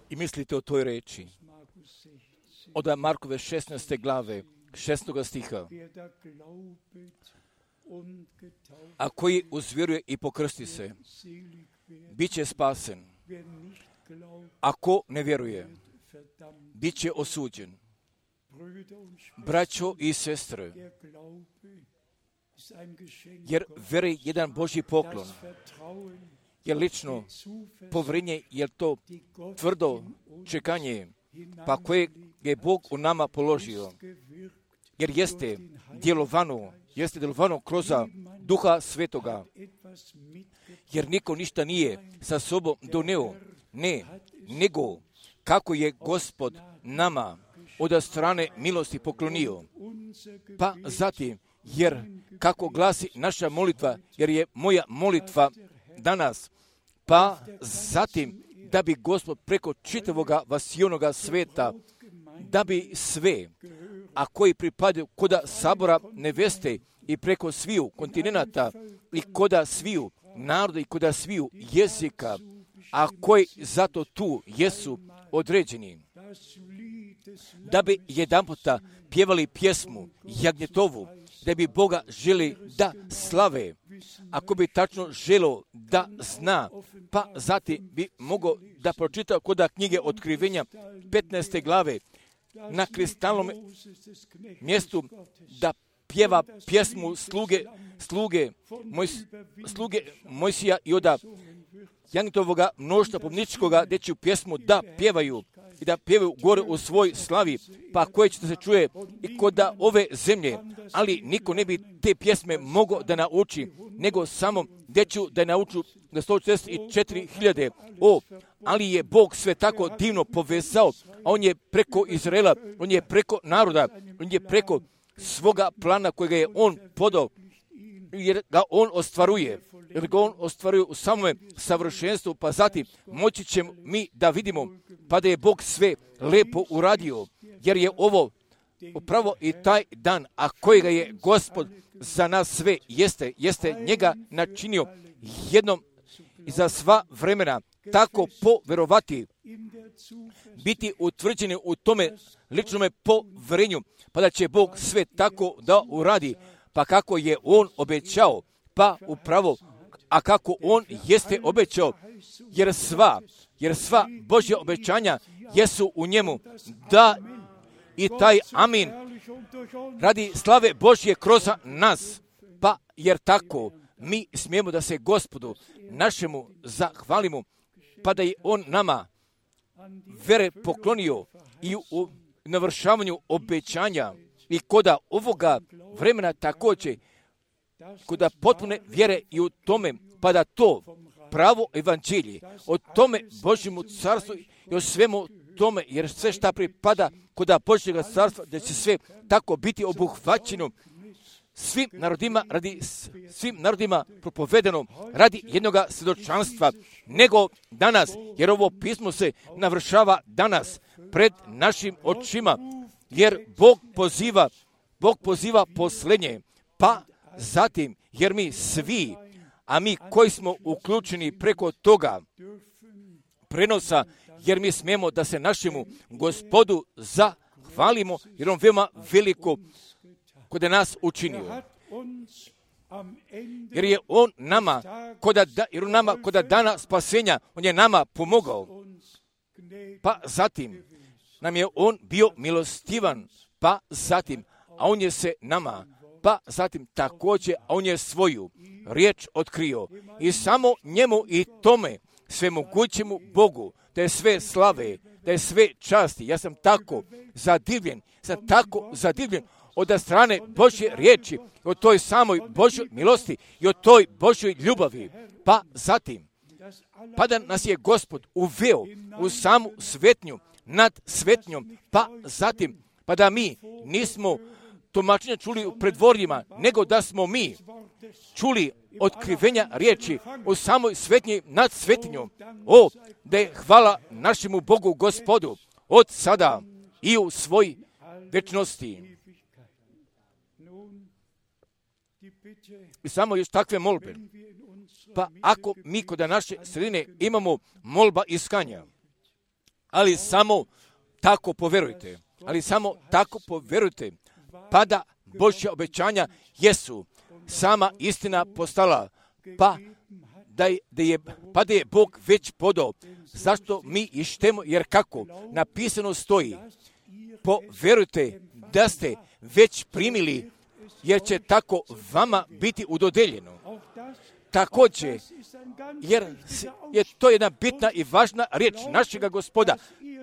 I mislite o toj reči od Markove 16. glave, 6. stiha. A koji uzvjeruje i pokrsti se, bit će spasen. Ako ne vjeruje, bit će osuđen. Braćo i sestre, jer vjera je jedan Božji poklon. Jer lično povjerenje, jer to tvrdo čekanje, pa koje je Bog u nama položio. Jer jeste djelovano kroz Duha Svetoga. Jer niko ništa nije sa sobom doneo, ne, nego kako je Gospod nama od strane milosti poklonio. Pa zatim, jer kako glasi naša molitva, jer je moja molitva danas, pa zatim da bi Gospod preko čitavoga vasionoga sveta, da bi sve, a koji pripadaju koda sabora neveste i preko sviju kontinenata i koda sviju naroda i koda sviju jezika, a koji zato tu jesu određeni, da bi jedanputa pjevali pjesmu Jagnjetovu, da bi Boga želi da slave, ako bi tačno želo da zna, pa zatim bi mogao da pročita koda knjige Otkrivenja 15. glave na kristalnom mjestu, da pjeva pjesmu sluge Mojsija i oda Jagnjetovoga mnoštva pomničkoga, gdje će pjesmu da pjevaju i da pjevaju gore u svoj slavi, pa koje će se čuje i kod ove zemlje, ali niko ne bi te pjesme mogao da nauči, nego samo gdje ću da nauču na 144.000. Ali je Bog sve tako divno povezao, a On je preko Izraela, On je preko naroda, On je preko svoga plana kojega je On podao, jer ga On ostvaruje u samome savršenstvu, pa zatim moći ćemo mi da vidimo pa da je Bog sve lepo uradio, jer je ovo upravo i taj dan, a kojega je Gospod za nas sve jeste njega načinio jednom i za sva vremena, tako poverovati, biti utvrđeni u tome ličnome povjerenju, pa da će Bog sve tako da uradi, pa kako je On obećao, pa upravo, a kako On jeste obećao, jer sva Božja obećanja jesu u njemu, da i taj amin radi slave Božje kroz nas. Pa jer tako mi smijemo da se Gospodu našemu zahvalimo, pa da je On nama vere poklonio i u navršavanju obećanja i koda ovoga vremena također, koda potpune vjere i u tome, pa da to pravo evanđelje, o tome Božjemu carstvu i o svemu tome, jer sve šta pripada koda Božjega carstva, da će sve tako biti obuhvaćeno svim narodima propovedeno radi jednoga svjedočanstva, nego danas, jer ovo pismo se navršava danas pred našim očima, jer Bog poziva posljednje, pa zatim, jer mi svi, a mi koji smo uključeni preko toga prenosa, jer mi smijemo da se našemu Gospodu zahvalimo, jer On veoma veliko kod je nas učinio. Jer je On nama, kod dana spasenja, On je nama pomogao. Pa zatim nam je On bio milostivan, pa zatim, a On je se nama, pa zatim također, a On je svoju riječ otkrio. I samo njemu i tome svemogućemu Bogu, da je sve slave, da je sve časti. Ja sam tako zadivljen od strane Božje riječi, o toj samoj Božjoj milosti i o toj Božjoj ljubavi. Pa zatim, pa da nas je Gospod uveo u samu svetnju, nad svetnjom, pa zatim, pa da mi nismo tumačenja čuli u predvorjima, nego da smo mi čuli otkrivenja riječi u samoj svetnji nad svetinjom. O, da je hvala našemu Bogu Gospodu od sada i u svoj večnosti. I samo još takve molbe. Pa ako mi kod naše sredine imamo molba iskanja, ali samo tako poverujte, pa da Božja obećanja jesu sama istina postala, pa da je Bog već podao. Zašto mi ištemo? Jer kako napisano stoji, poverujte da ste već primili, jer će tako vama biti udodeljeno. Također, jer to je jedna bitna i važna riječ našega Gospoda.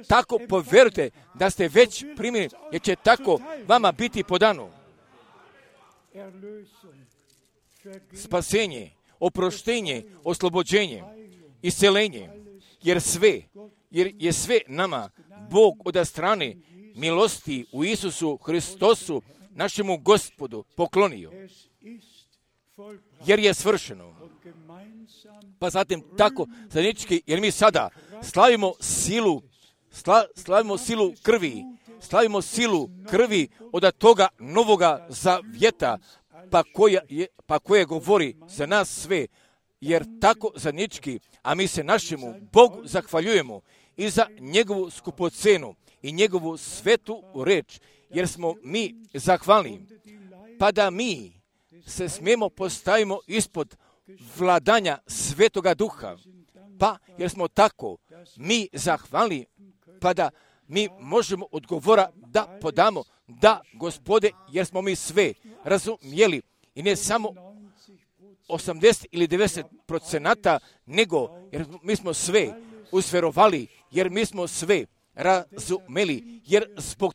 Tako poverujte da ste već primili, jer će tako vama biti podano. Spasenje, oproštenje, oslobođenje, iscelenje, jer je sve nama Bog od strane milosti u Isusu Hristosu, našemu Gospodu, poklonio. Jer je svršeno. Pa zatim tako zajednički, jer mi sada slavimo silu krvi od toga novoga zavjeta, pa koje govori za nas sve, jer tako zajednički, a mi se našemu Bogu zahvaljujemo i za njegovu skupocenu i njegovu svetu reč, jer smo mi zahvalni, pa da mi se smijemo postavimo ispod vladanja Svetoga Duha, pa jer smo tako mi zahvalni, pa da mi možemo odgovora da podamo, da Gospode, jer smo mi sve razumjeli i ne samo 80 ili 90%, nego jer mi smo sve usverovali, jer mi smo sve razumeli, jer zbog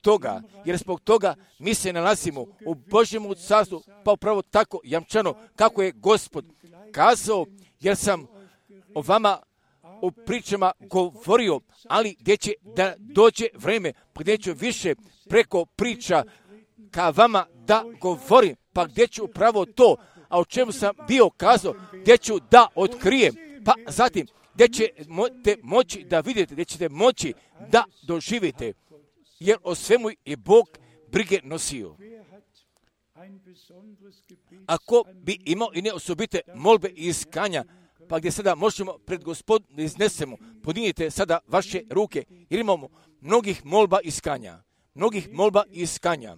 toga mi se nalazimo u Božjemu carstvu, pa upravo tako jamčano kako je Gospod kazao, jer sam o vama u pričama govorio, ali gdje će da dođe vreme, pa gdje ću više preko priča ka vama da govorim, pa gdje ću upravo to, a o čemu sam bio kazao, gdje ću da otkrijem, pa zatim gdje ćete moći da vidite, gdje ćete moći da doživite, jer o svemu je Bog brige nosio. Ako bi imao i ne osobite molbe i iskanja, pa gdje sada možemo pred Gospodom da iznesemo, podignite sada vaše ruke, jer imamo mnogih molba iskanja.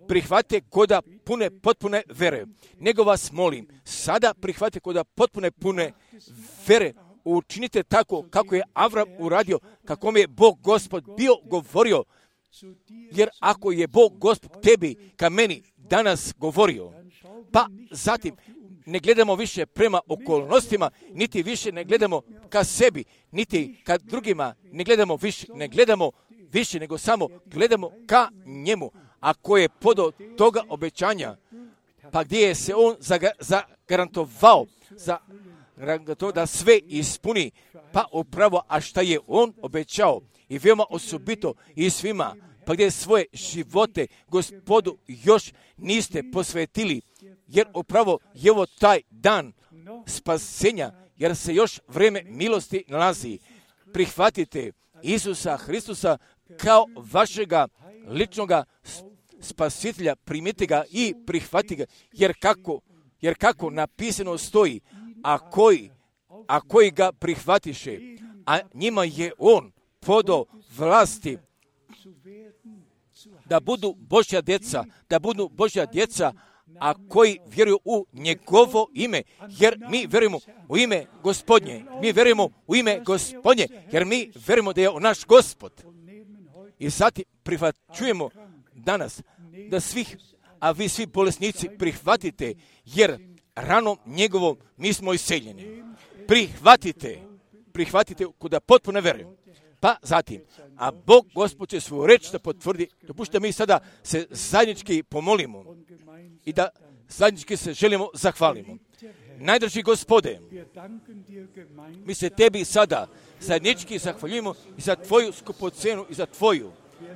Prihvatite koda potpune vere. Nego vas molim, sada prihvatite koda pune vere. Učinite tako kako je Avram uradio, kako mi je Bog Gospod bio govorio, Jer ako je Bog Gospod tebi ka meni danas govorio, pa zatim ne gledamo više prema okolnostima, niti više ne gledamo ka sebi, niti ka drugima, ne gledamo više, nego samo gledamo ka njemu. Ako je podao toga obećanja, pa gdje je se on zagarantovao to da sve ispuni, pa upravo, a šta je on obećao i veoma osobito i svima, pa gdje svoje živote Gospodu još niste posvetili, jer upravo je ovo taj dan spasenja, jer se još vrijeme milosti nalazi. Prihvatite Isusa Hristusa kao vašega ličnoga spasitelja, primite ga i prihvatite ga, jer kako napisano stoji, a koji ga prihvatiše, a njima je on podao vlasti da budu Božja djeca, a koji vjeruju u njegovo ime, jer mi vjerujemo u ime Gospodnje, jer mi vjerujemo da je on naš Gospod. I zatim prihvaćujemo danas da vi svi bolesnici prihvatite, jer ranom njegovom mi smo iseljeni. Prihvatite kuda potpuno vjerujem. Pa zatim, a Bog Gospod će svoju reč da potvrdi. Dopušte mi sada se zajednički pomolimo i da zajednički se želimo zahvalimo. Najdraži Gospode, mi se tebi sada zajednički zahvaljujemo i za tvoju skupocenu i za tvoju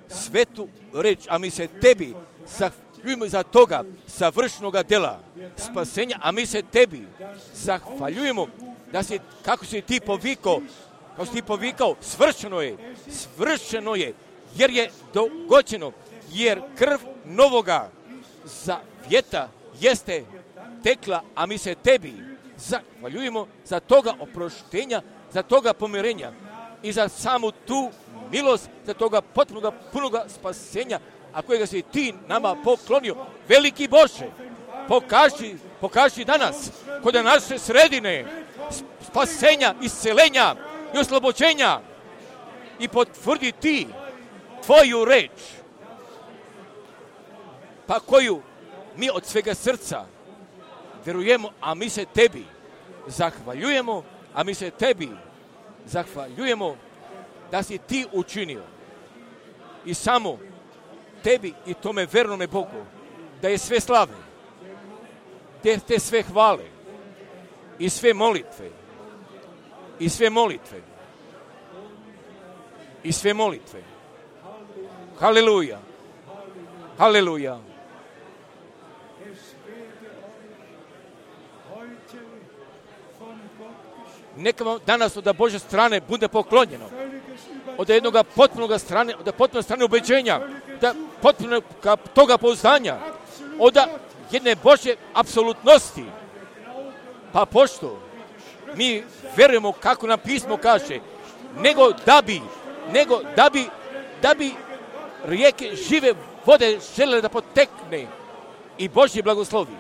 svetu reč, a mi se tebi zahvaljujemo za toga savršenoga dela spasenja, a mi se tebi zahvaljujemo da si, kako si ti povikao, svršeno je, jer je dogođeno, jer krv novoga zavjeta jeste tekla, a mi se tebi zahvaljujemo za toga oproštenja, za toga pomirenja i za samu tu milost, za toga potpunoga, punoga spasenja, a kojega si ti nama poklonio. Veliki Bože, pokaži danas kod naše sredine spasenja, iscelenja i oslobođenja i potvrdi ti tvoju reč, pa koju mi od svega srca vjerujemo, a mi se tebi zahvaljujemo da si ti učinio i samo tebi i tome vernome Bogu da je sve slave, te sve hvale i sve molitve Haleluja, haleluja. Neka vam danas od Božje strane bude poklonjeno. Od jednog potpunog strane ubeđenja, da potpunog toga pouzdanja, od jedne Božje apsolutnosti. Pa pošto mi vjerujemo kako nam pismo kaže, nego da bi rijeke žive vode žele da potekne i Božji blagoslovi,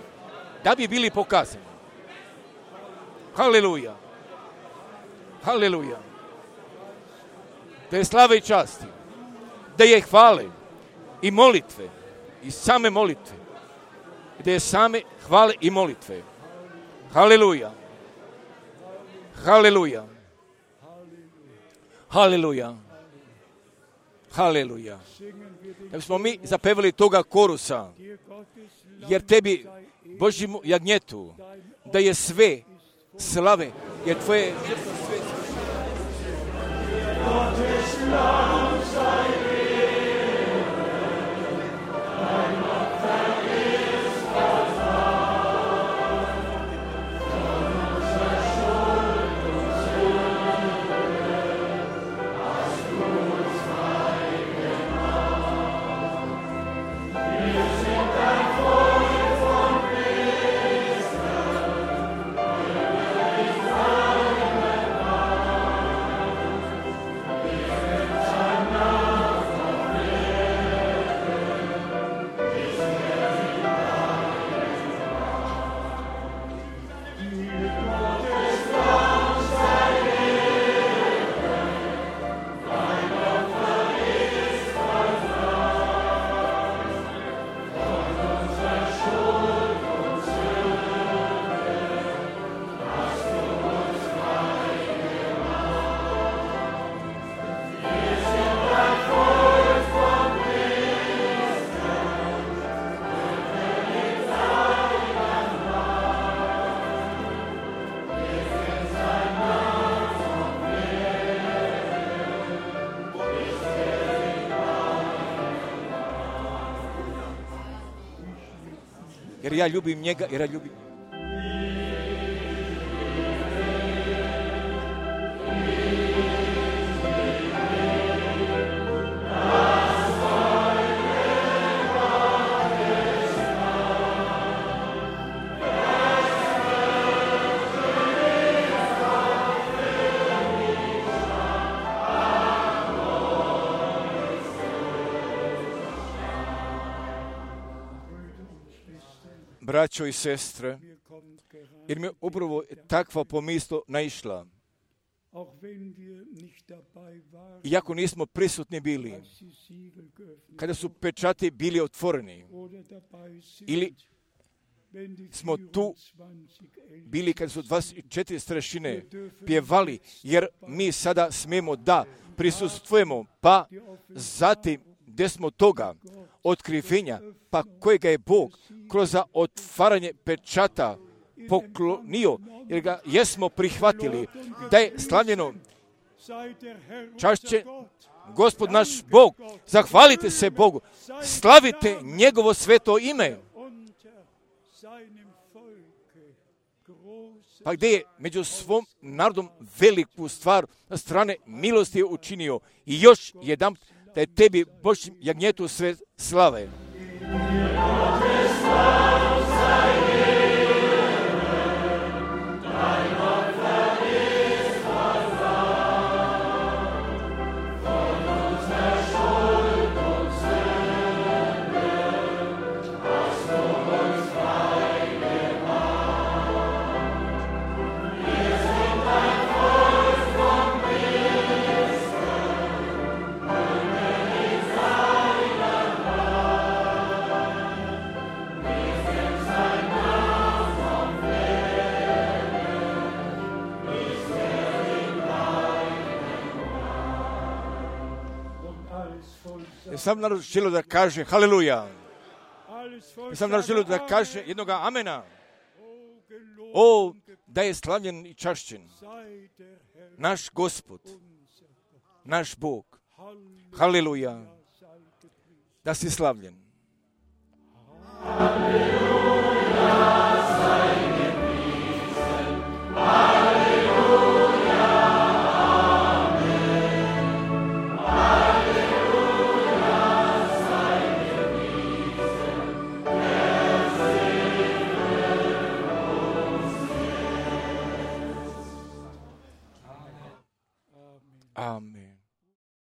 da bi bili pokazani. Haleluja. Haleluja. Da je slave i časti, da je hvale i molitve, i same molitve, da je same hvale i molitve. Haleluja. Haleluja. Haleluja. Haleluja. Da bismo mi zapevali toga korusa, jer tebi, Božjemu jagnjetu, da je sve slave, jer tvoje žrtvo sve jer ja ljubim njega, jer ja ljubim. Braćo i sestre, jer mi je upravo takva pomisao naišla. Iako nismo prisutni bili, kada su pečati bili otvoreni, ili smo tu bili kada su 24 starešine pjevali, jer mi sada smijemo da prisustvujemo, pa zatim gdje smo toga otkrivenja, pa kojega je Bog kroz otvaranje pečata poklonio, jer ga jesmo prihvatili, da je slavljeno, čašće Gospod naš Bog, zahvalite se Bogu, slavite njegovo sveto ime. Pa gdje je među svom narodom veliku stvar na strane milosti je učinio i još jedan da je tebi Božjem jagnjetu sve slave. Sam narod želio da kaže haleluja. Sam narod želio da kaže jednoga amena. O, da je slavljen i čašćen naš Gospod, naš Bog. Haleluja. Da si slavljen. Amen.